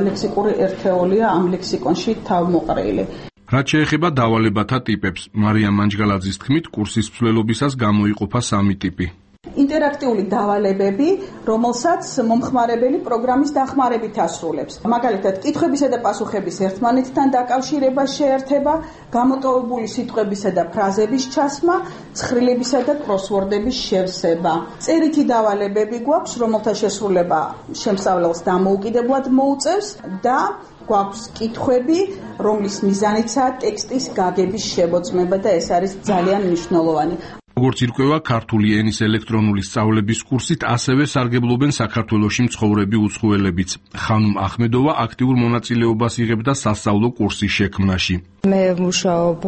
ლექსიკური ერთეულია ამ ლექსიკონში თავმოყრილი. რაც შეეხება დავალებათა ტიპებს, მარიამ მანჯგალაძის თქმით, კურსის მსვლელობისას გამოიყოფა 3 ტიპი. ინტერაქტიული დავალებები, რომელსაც მომხმარებელი პროგრამის დახმარებით ასრულებს. მაგალითად, კითხვებისა და პასუხების ერთმანეთთან დაკავშირება შეერთება, გამოტოვებული სიტყვებისა და ფრაზების ჩასმა, ცხრილებისა და კროსვორდების შევსება. წერითი დავალებები გვაქვს, რომელთა შესრულება შემსწავლელს დამოუკიდებლად მოუწევს და გვაქვს კითხვები, რომლის მიზანიცაა ტექსტის გაგების შემოწმება და ეს არის ძალიან მნიშვნელოვანი. როგორც ირკვევა, ქართული ენის ელექტრონული სწავლების კურსით ასევე სარგებლობენ საქართველოში მცხოვრები უცხოელებიც. ხანუმ ახმედოვა აქტიურ მონაწილეობას იღებდა სასწავლო კურსის შექმნაში. მე მუშაობ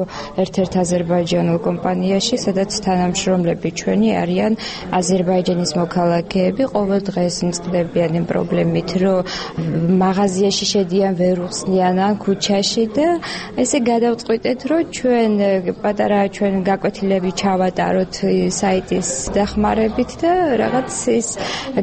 ერთ-ერთ აზერბაიჯანულ კომპანიაში, სადაც თანამშრომლები ჩვენი არიან აზერბაიჯანის მოქალაქეები. ყოველ დღეს მწყდებიან იმ პრობლემით, რომ მაღაზიაში შედიან, ვერ უხსნიან ან ქუჩაში და ესე გადავწყვიტეთ, რომ ჩვენ გაკვეთილები ჩავატაროთ საიტის დახმარებით და რაღაც ის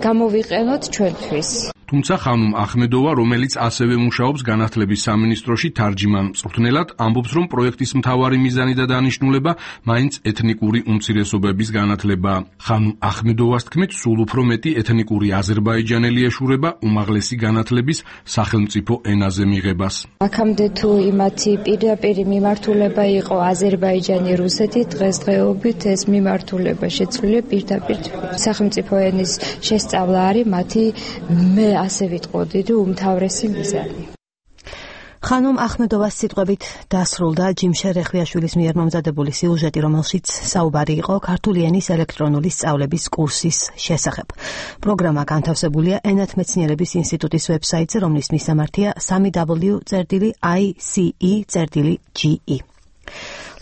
გამოვიყენოთ ჩვენთვის. თუმცა ხანუმ ახმედოვა, რომელიც ასევე მუშაობს განათლების სამინისტროში თარჯიმან მწვრთნელად, ამბობს, რომ პროექტის მთავარი მიზანი და დანიშნულება მაინც ეთნიკური უმცირესობების განათლებაა. ხანუმ ახმედოვას თქმით, სულ უფრო მეტი ეთნიკური აზერბაიჯანელი ეშურება უმაღლესი განათლების სახელმწიფო ენაზე მიღებას. აქამდე თუ იმათი პირდაპირი მიმართულება იყო აზერბაიჯანი, რუსეთი, დღესდღეობით ეს მიმართულება შეცვლილია პირდაპირ სახელმწიფო ენის შესწავლა არის მათი ასე ვიტყოდი, რომ უმთავრესი მიზანი. ხანუმ ახმედოვას სიტყვებით დასრულდა ჯიმშე რეხვიაშვილის მიერ მომზადებული სიუჟეტი, რომელშიც საუბარი იყო ქართული ენის ელექტრონული სწავლების კურსის შესახებ. პროგრამა განთავსებულია ენათმეცნიერების ინსტიტუტის ვებსაიტზე, რომლის მისამართია www.ice.ge.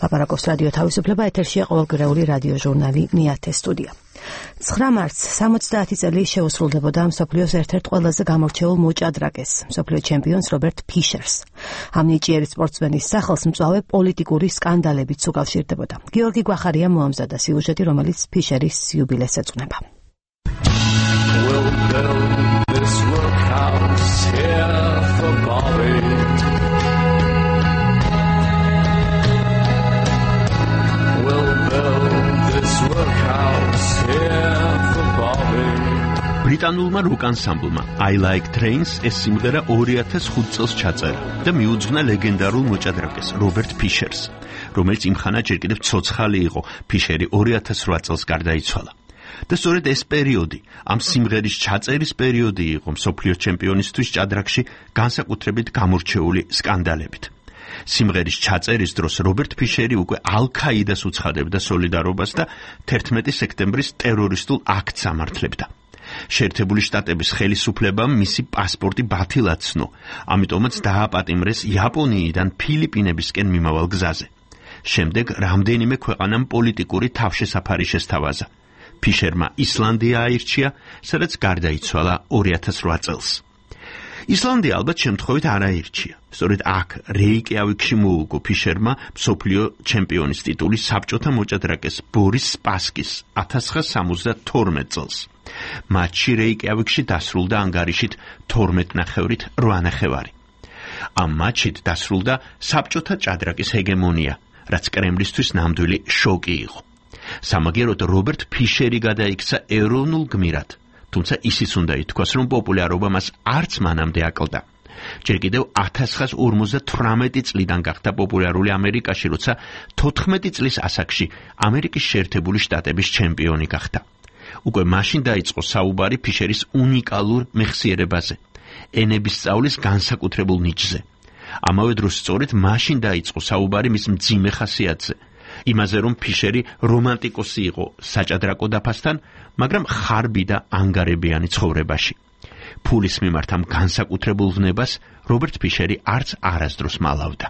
ლაპარაკობს რადიო თავისუფლება, ეთერშია ყოველკვირეული რადიო ჟურნალი ნიათე სტუდია. 9 მარტს 70 წელი შეუსრულდებოდა მსოფლიოს ერთ-ერთ ყველაზე გამორჩეულ მოჭადრაკეს, მსოფლიო ჩემპიონს რობერტ ფიშერს. ამ ნიჭიერი სპორტსმენის სახელს მწვავე პოლიტიკური სკანდალებით უკავშირდებოდა. გიორგი გვახარიამ მოამზადა სიუჟეტი, რომელიც ფიშერის იუბილეს ეძღვნება. ბრიტანულმა როკ ანსამბლმა I Like Trains ეს სიმღერა 2005 წელს ჩაწერა და მიუძღვნა ლეგენდარულ მოჭადრაკეს რობერტ ფიშერს, რომელიც იმხანა ჯერ კიდევ ცოცხალი იყო. ფიშერი 2008 წელს გარდაიცვალა. და სწორედ ეს პერიოდი, ამ სიმღერის ჩაწერის პერიოდი იყო მსოფლიო ჩემპიონისთვის ჭადრაკში განსაკუთრებით გამორჩეული სკანდალებით. სიმღერის ჩაწერის დროს რობერტ ფიშერი უკვე ალ-ქაიდას უცხადებდა სოლიდარობას და 11 სექტემბრის ტერორისტულ აქტს ამართლებდა. შეერთებული შტატების ხელისუფლებამ მისი პასპორტი ბათილად ცნო, ამიტომაც დააპატიმრეს იაპონიიდან ფილიპინებისკენ მიმავალ გზაზე. შემდეგ რამდენიმე ქვეყანამ პოლიტიკური თავშესაფარი შესთავაზა. ფიშერმა ისლანდია აირჩია, სადაც გარდაიცვალა 2008 წელს. ისლანდია ალბათ შემთხვევით არ აირჩია. სწორედ აქ რეიკიავიკში მოუგო ფიშერმა მსოფლიო ჩემპიონის ტიტული საბჭოთა მოჭადრაკეს ბორის სპასკის 1972 წელს. მატჩი რეიკიავიკში დასრულდა ანგარიშით 12-ნახევრით 8 ნახევარი. ამ მატჩით დასრულდა საბჭოთა ჭადრაკის ჰეგემონია, რაც კრემლისთვის ნამდვილი შოკი იყო. სამაგეროდ რობერტ ფიშერი გადაიქცა ეროვნულ გმირად, თუმცა ისიც უნდა ითქვას, რომ პოპულარობა მას არც მანამდე აკლდა. ჯერ კიდევ 1958 წლიდან გახდა პოპულარული ამერიკაში, როცა 14 წლის ასაკში ამერიკის შეერთებული შტატების ჩემპიონი გახდა. უკვე მაშინ დაიწყო საუბარი ფიშერის უნიკალურ მეხსიერებაზე, ენების სწავლის განსაკუთრებულ ნიჭზე. ამავე დროს სწორედ მაშინ დაიწყო საუბარი მის მძიმე ხასიათზე, იმაზე, რომ ფიშერი რომანტიკოსი იყო საჭადრაკო დაფასთან, მაგრამ ხარბი და ანგარებიანი ცხოვრებაში. ფულის მიმართ ამ განსაკუთრებულ ვნებას რობერტ ფიშერი არც არასდროს მალავდა.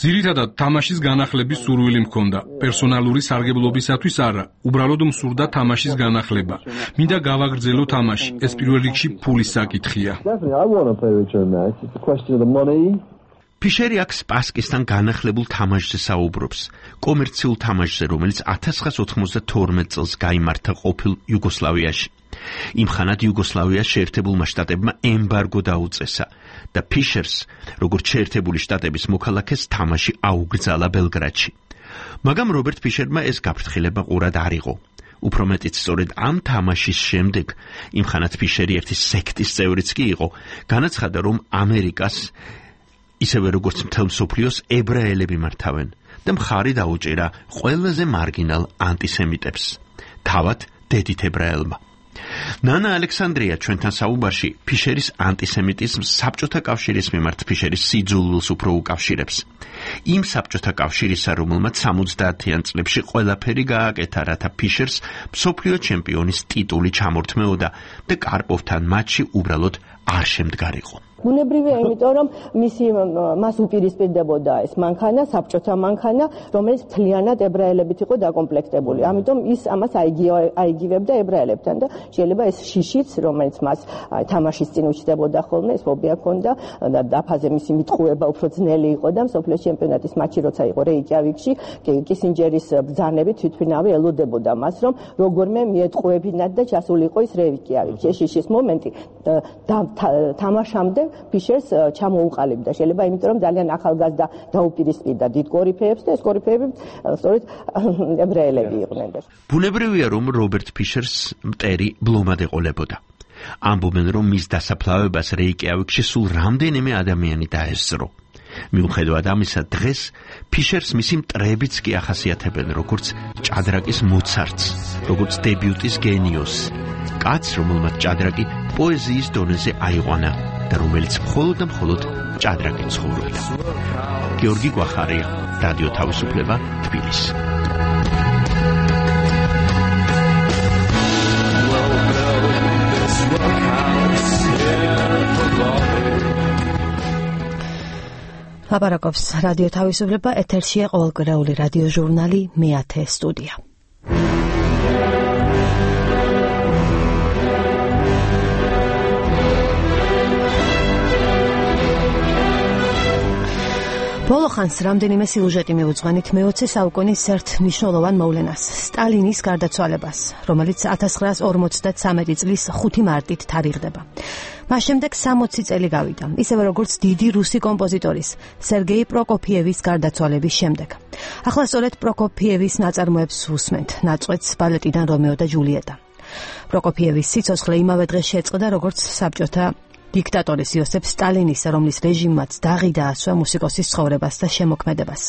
ძირითადად თამაშის განახლების სურვილი მქონდა, პერსონალური სარგებლობისათვის არა, უბრალოდ მსურდა თამაშის განახლება. მინდა გავაგრძელო თამაში, ეს პირველ რიგში ფულის საკითხია. ფიშერი აქ სპასკისთან განახლებულ თამაშზე საუბრობს, კომერციულ თამაშზე, რომელიც 1992 წელს გაიმართა ყოფილ იუგოსლავიაში. იმხანად იუგოსლავიას შეერთებულმა შტატებმა ემბარგო დაუწესა და ფიშერს, როგორც შეერთებული შტატების მოქალაქეს, თამაში აუგრძალა ბელგრადში. მაგრამ რობერტ ფიშერმა ეს გაფრთხილება ყურად არ იყო. უფრო მეტიც სწორედ ამ თამაშის შემდეგ, იმხანად ფიშერი ერთი სექტის წევრიც კი იყო, განაცხადა, რომ ამერიკას ისევე როგორც მთელ მსოფლიოს ებრაელები მართავენ და მხარი დაუჭირა ყველაზე მარგინალ ანტისემიტებს, თავად დედით ებრაელმა. ნანა ალექსანდრია ჩვენთან საუბარში ფიშერის ანტისემიტიზმს საბჭოთა კავშირის მიმართ ფიშერის სიძულვილს უფრო უკავშირებს. იმ საბჭოთა კავშირისა, რომელმაც 70-იან წლებში ყველაფერი გააკეთა, რათა ფიშერს მსოფლიო ჩემპიონის ტიტული ჩამორთმეოდა და კარპოვთან მატჩი უბრალოდ არ შემდგარიყო. ბუნებრივია, იმიტომ რომ მას უპირისპირდებოდა ეს მანქანა, საბჭოთა მანქანა, რომელიც მთლიანად ებრაელებით იყო დაკომპლექტებული. ამიტომ ის ამას აიგივებდა ებრაელებთან და შეიძლება ეს შიშიც, რომელიც მას თამაშის წინ უჩნდებოდა ხოლმე, ეს ფობია ჰქონდა და დაფაზე მისი მიტყუება უფრო ძნელი იყო და მსოფლიო ჩემპიონატის მატჩი როცა იყო რეიკიავიკში, კისინჯერის ბრძანებით თვითმფრინავი ელოდებოდა მას, რომ როგორმე მიეტყუებინათ და ჩასული იყო ის რეიკიავიკში. ეს შიშის მომენტი თამაშამდე ფიშერს ჩამოუყალიბდა. შეიძლება იმიტომ რომ ძალიან ახალგაზრდა დაუპირისპირდა დიდ კორიფეებს და ეს კორიფეები სწორედ ებრაელები იყვნენ. ბუნებრივია, რომ რობერტ ფიშერს მტერი ბლომად ეყოლებოდა. ამბობენ, რომ მის დასაფლავებას რეიკიავიკში სულ რამდენიმე ადამიანი დაესწრო. მიუხედავად ამისა, დღეს ფიშერს მისი მტრებიც კი ახასიათებენ, როგორც ჭადრაკის მოცარტს, როგორც დებიუტის გენიოსს, კაცს, რომელმაც ჭადრაკი პოეზიის დონეზე აიყვანა და რომელიც მხოლოდ და მხოლოდ ჭადრაკით ცხოვრობდა. გიორგი გვახარია, რადიო თავისუფლება, თბილისი. ლაპარაკობს რადიო თავისუფლება, ეთერშია ყოველკვირეული რადიო ჟურნალი მე-10 სტუდია. ბოლო ხანს რამდენიმე სიუჟეტი მივუძღვენით მე-20 საუკუნის ერთ მნიშვნელოვან მოვლენას, სტალინის გარდაცვალებას, რომელიც 1953 წლის 5 მარტით თარიღდება. მას შემდეგ 60 წელი გავიდა, ისევე როგორც დიდი რუსი კომპოზიტორის სერგეი პროკოფიევის გარდაცვალების შემდეგ. ახლა სწორედ პროკოფიევის ნაწარმოებს უსმენთ, ნაწყვეტს ბალეტიდან რომეო და ჯულიეტა. პროკოფიევის სიცოცხლე იმავე დღეს შეწყდა, როგორც საბჭოთა დიქტატორის იოსებ სტალინისა, რომლის რეჟიმმაც დაღი დაასვა მუსიკოსის ცხოვრებას და შემოქმედებას.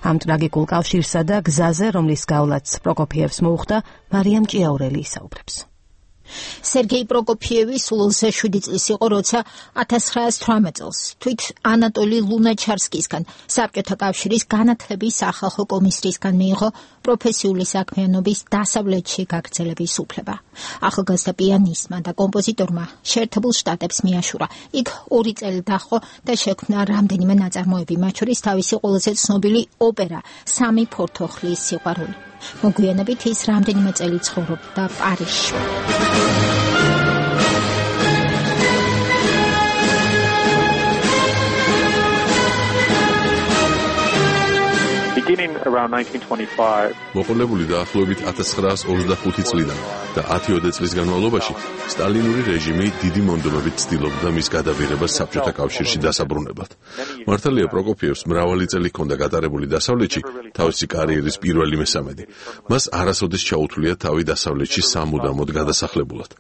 ამ ტრაგიკულ კავშირსა და გზაზე, რომლის გავლაც პროკოფიევს მოუხდა, მარიამ ჭიაურელი ისაუბრებს. სერგეი პროკოფიევი სულ 27 წლის იყო, როცა 1918 წელს თვით ანატოლი ლუნაჩარსკისგან საბჭოთა კავშირის განათლების სახალხო კომისრისგან მიიღო პროფესიული საქმიანობის დასავლეთში გაგრძელების უფლება. ახალგაზრდა პიანისტმა და კომპოზიტორმა შეერთებულ შტატებს მიაშურა. იქ 2 წელი დაჰყო და შექმნა რამდენიმე ნაწარმოები, მათ შორის თავისი ყველაზე ცნობილი ოპერა სამი ფორთოხლის სიყვარული. მოგვიანებით ის რამდენიმე წელი ცხოვრობდა პარიზში. მოყოლებული დაახლოებით 1925 წლიდან და 10-20 წლის განმავლობაში სტალინური რეჟიმი დიდი მონდომებით ცდილობდა მის გადაბირებას საბჭოთა კავშირში დასაბრუნებლად. მართალია პროკოფიევს მრავალი წელი ჰქონდა გატარებული დასავლეთში, თავისი კარიერის პირველი მესამედი. მას არასოდეს ჩაუთვლია თავი დასავლეთში სამუდამოდ გადასახლებულად.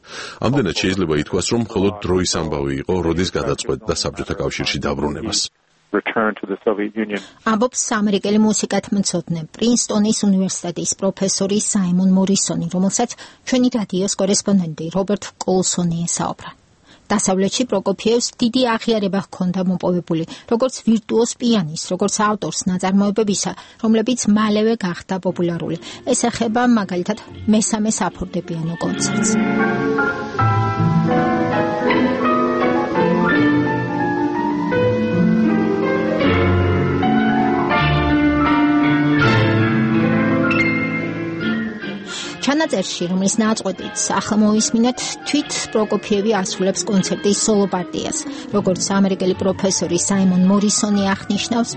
ამდენად შეიძლება ითქვას, რომ მხოლოდ დროის ამბავი იყო, როდის გადაწყვეტდა საბჭოთა კავშირში დაბრუნებას. ამბობს ამერიკელი მუსიკათმცოდნე პრინსტონის უნივერსიტეტის პროფესორი საიმონ მორისონი, რომელსაც ჩვენი რადიოს კორესპონდენტი რობერტ კოლსონი ესაუბრა. დასავლეთში პროკოფიევს დიდი აღიარება ჰქონდა მოპოვებული, როგორც ვირტუოზ პიანისტს, როგორც ავტორს ნაწარმოებებისა, რომლებიც მალევე გახდა პოპულარული. ეს ეხება მაგალითად მესამე საფორტეპიანო კონცერტს. ჩანაწერში, რომლის ნაწყვეტიც ახლა მოვისმინეთ, თვით პროკოფიევი ასრულებს კონცერტის სოლო პარტიას. როგორც ამერიკელი პროფესორი საიმონ მორისონი აღნიშნავს,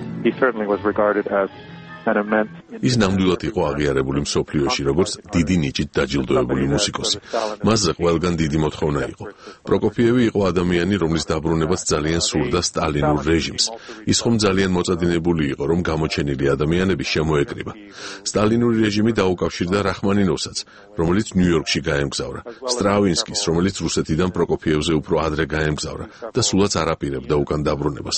ის ნამდვილად იყო აღიარებული მსოფლიოში, როგორც დიდი ნიჭით დაჯილდოებული მუსიკოსი. მასზე ყველგან დიდი მოთხოვნა იყო. პროკოფიევი იყო ადამიანი, რომლის დაბრუნებაც ძალიან სურდა სტალინურ რეჟიმს. ის ხომ ძალიან მოწადინებული იყო, რომ გამოჩენილი ადამიანები შემოეკრიბა. სტალინური რეჟიმი დაუკავშირდა რახმანინოვსაც, რომელიც ნიუ-იორკში გაემგზავრა, სტრავინსკის, რომელიც რუსეთიდან პროკოფიევზე უფრო ადრე გაემგზავრა და სულაც არ აპირებდა უკან დაბრუნებას.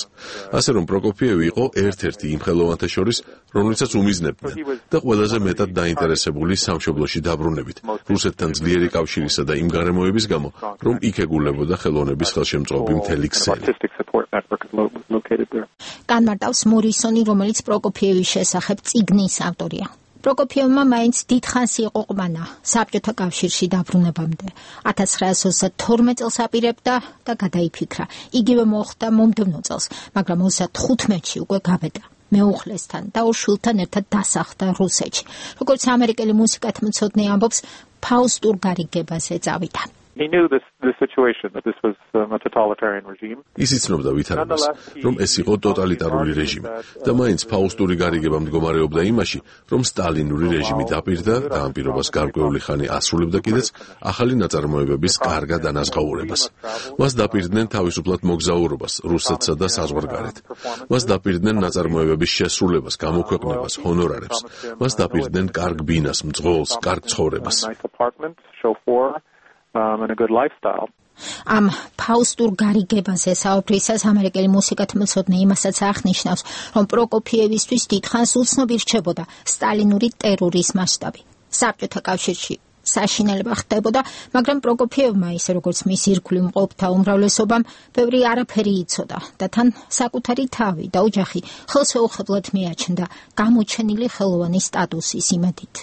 ასე რომ პროკოფიევი იყო ერთ-ერთი იმ ხელოვანთა შორის, რომელიცაც უმიზნებდნენ და ყველაზე მეტად დაინტერესებული სამშობლოში დაბრუნებით, რუსეთთან ძლიერი კავშირისა და იმ გარემოების გამო, რომ იქ ეგულებოდა ხელოვნების ხელშემწყობი მთელი ქსელი. განმარტავს მორისონი, რომელიც პროკოფიევის შესახებ წიგნის ავტორია. პროკოფიევმა მაინც დიდხანს იყო ყვანა საბჭოთა კავშირში დაბრუნებამდე. 1932 წელს აპირებდა და გადაიფიქრა. იგივე მოხდა მომდევნო წელს, მაგრამ 35-ში უკვე გავედა. მეუღლესთან და ორ შვილთან ერთად დასახლდა რუსეთში. როგორც ამერიკელი მუსიკათმცოდნე ამბობს, ფაუსტურ გარიგებაზე წავიდა. ის იცნობდა ვითარებას, რომ ეს იყო ტოტალიტარული რეჟიმი და მაინც ფაუსტური გარიგება მდგომარეობდა იმაში, რომ სტალინური რეჟიმი დაპირდა და ამ პირობას გარკვეული ხანი ასრულებდა კიდეც ახალი ნაწარმოებების კარგად ანაზღაურებას. მას დაპირდნენ თავისუფლად მოგზაურობას რუსეთსა და საზღვარგარეთ. მას დაპირდნენ ნაწარმოებების შესრულებას, გამოქვეყნებას, ჰონორარებს. მას დაპირდნენ კარგ ბინას, მძღოლს, კარგ ცხოვრებას. ამ ფაუსტურ გარიგებაზე საუბრისას ამერიკელი მუსიკათმცოდნე იმასაც აღნიშნავს, რომ პროკოფიევისთვის დიდხანს უცნობი რჩებოდა სტალინური ტერორის მასშტაბი. საბჭოთა კავშირში საშინელება ხდებოდა, მაგრამ პროკოფიევმა, ისე როგორც მის ირგვლივ მყოფთა უმრავლესობამ, ბევრი არაფერი იცოდა და თან საკუთარი თავი და ოჯახი ხელშეუხებლად მიაჩნდა გამოჩენილი ხელოვანის სტატუსის იმედით.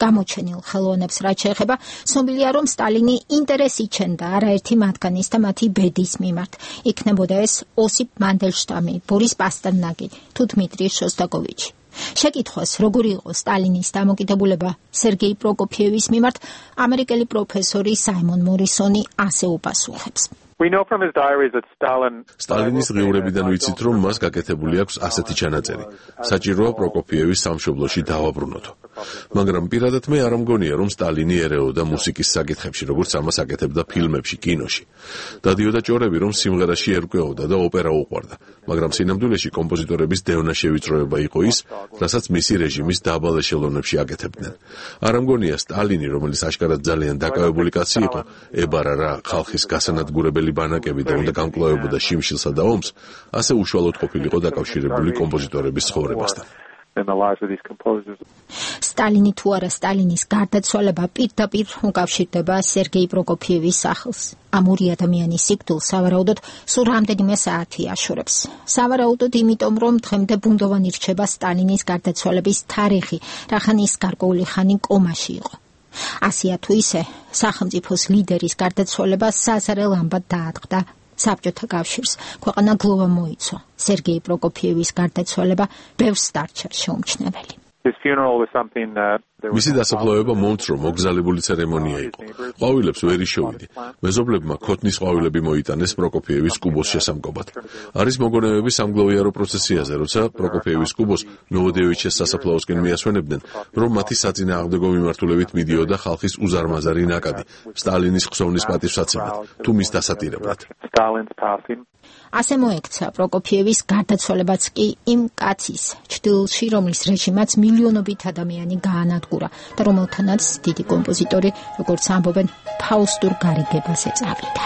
გამოჩენილ ხელოვნებს რაც შეეხება, ცნობილია, რომ სტალინი ინტერესი ჩენდა არაერთი მათგანის და მათი ბედის მიმართ. იქნებოდა ეს ოსიპ მანდელშტამი, ბორის პასტერნაკი თუ დმიტრი შოსტაკოვიჩი. შეკითხვას, როგორი იყო სტალინის დამოკიდებულება სერგეი პროკოფიევის მიმართ, ამერიკელი პროფესორი საიმონ მორისონი ასე უპასუხებს. სტალინის ღიურებიდან ვიცით, რომ მას გაკეთებული აქვს ასეთი ჩანაწერი. საჭიროა პროკოფიევის სამშობლოში დავაბრუნოთ. მაგრამ პირადად მე არ მგონია, რომ სტალინი ერეოდა მუსიკის საკითხებში, როგორც ამას აკეთებდა ფილმებში, კინოში. დადიოდა ჭორები, რომ სიმღერაში ერკვეოდა და ოპერა უყვარდა, მაგრამ სინამდვილეში კომპოზიტორების დევნა შევიწროება იყო ის, რასაც მისი რეჟიმის დაბალ ეშელონებში აკეთებდნენ. არ მგონია სტალინი, რომელიც აშკარად ძალიან დაკავებული კაცი იყო, ებარა რა ხალხის გასანადგურებელი ბანაკები და უნდა გამკლავებოდა შიმშილსა და ომს, ასე უშუალოდ ყოფილიყო დაკავშირებული კომპოზიტორების ცხოვრებასთან. in the lives of these composers. სტალინი თუ არა სტალინის გარდაცვალება პირდაპირ უკავშირდება სერგეი პროკოფიევის სახელს. ამ ორი ადამიანის სიკვდილს სავარაუდოდ სულ რამდენიმე საათი აშორებს. სავარაუდოდ იმიტომ, რომ დღემდე ბუნდოვანი რჩება სტალინის გარდაცვალების თარიღი, რახან ის გარკვეული ხანი კომაში იყო. ასია თუ ისე, სახელმწიფოს ლიდერის გარდაცვალება საზარელ ამბად დაატყდა საბჭოთა კავშირს. ქვეყანა გლოვა მოიცვა. სერგეი პროკოფიევის გარდაცვალება ბევრს დარჩა შეუმჩნეველი. მისი დასაფლავება მომცრო მოგზალებული ცერემონია იყო. ყვავილებს ვერ იშოვიდი. მეზობლებმა ქოთნის ყვავილები მოიტანეს პროკოფიევის კუბოს შესამკობად. არის მოგონებები სამგლოვიარო პროცესიაზე, როცა პროკოფიევის კუბოს ნოვოდევიჩეს სასაფლაოსკენ მიასვენებდნენ, რომ მათი საწინააღმდეგო მიმართულებით მიდიოდა ხალხის უზარმაზარი ნაკადი, სტალინის ხსოვნის პატივსაცემად, თუ მის დასატირებლად. ასე მოექცა პროკოფიევის გარდაცვალებაც კი იმ კაცის ჩრდილში, რომლის რეჟიმაც მილიონობით ადამიანი გაანადგურა და რომელთანაც დიდი კომპოზიტორი, როგორც ამბობენ, ფაუსტურ გარიგებაზე წავიდა.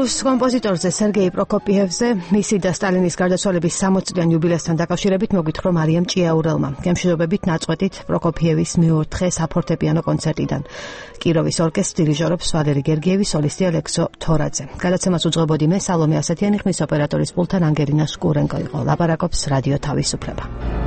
რუს კომპოზიტორზე სერგეი პროკოფიევზე მისი და სტალინის გარდაცვალების 60-წლიან იუბილეასთან დაკავშირებით მოგვითხრა მარიამ ჭიაურელმა. გემშვიდობებით ნაწყვეტით პროკოფიევის მეოთხე საფორტეპიანო კონცერტიდან. კიროვის ორკესტრის დირიჟორობს ვალერი გერგიევი, სოლისტი ალექსო თორაძე. გადაცემას უძღვებოდი მე სალომე ასათიანი, ხმის ოპერატორის პულტთან ანგელინა სკურენკო იყო. ლაპარაკობს რადიო თავისუფლება.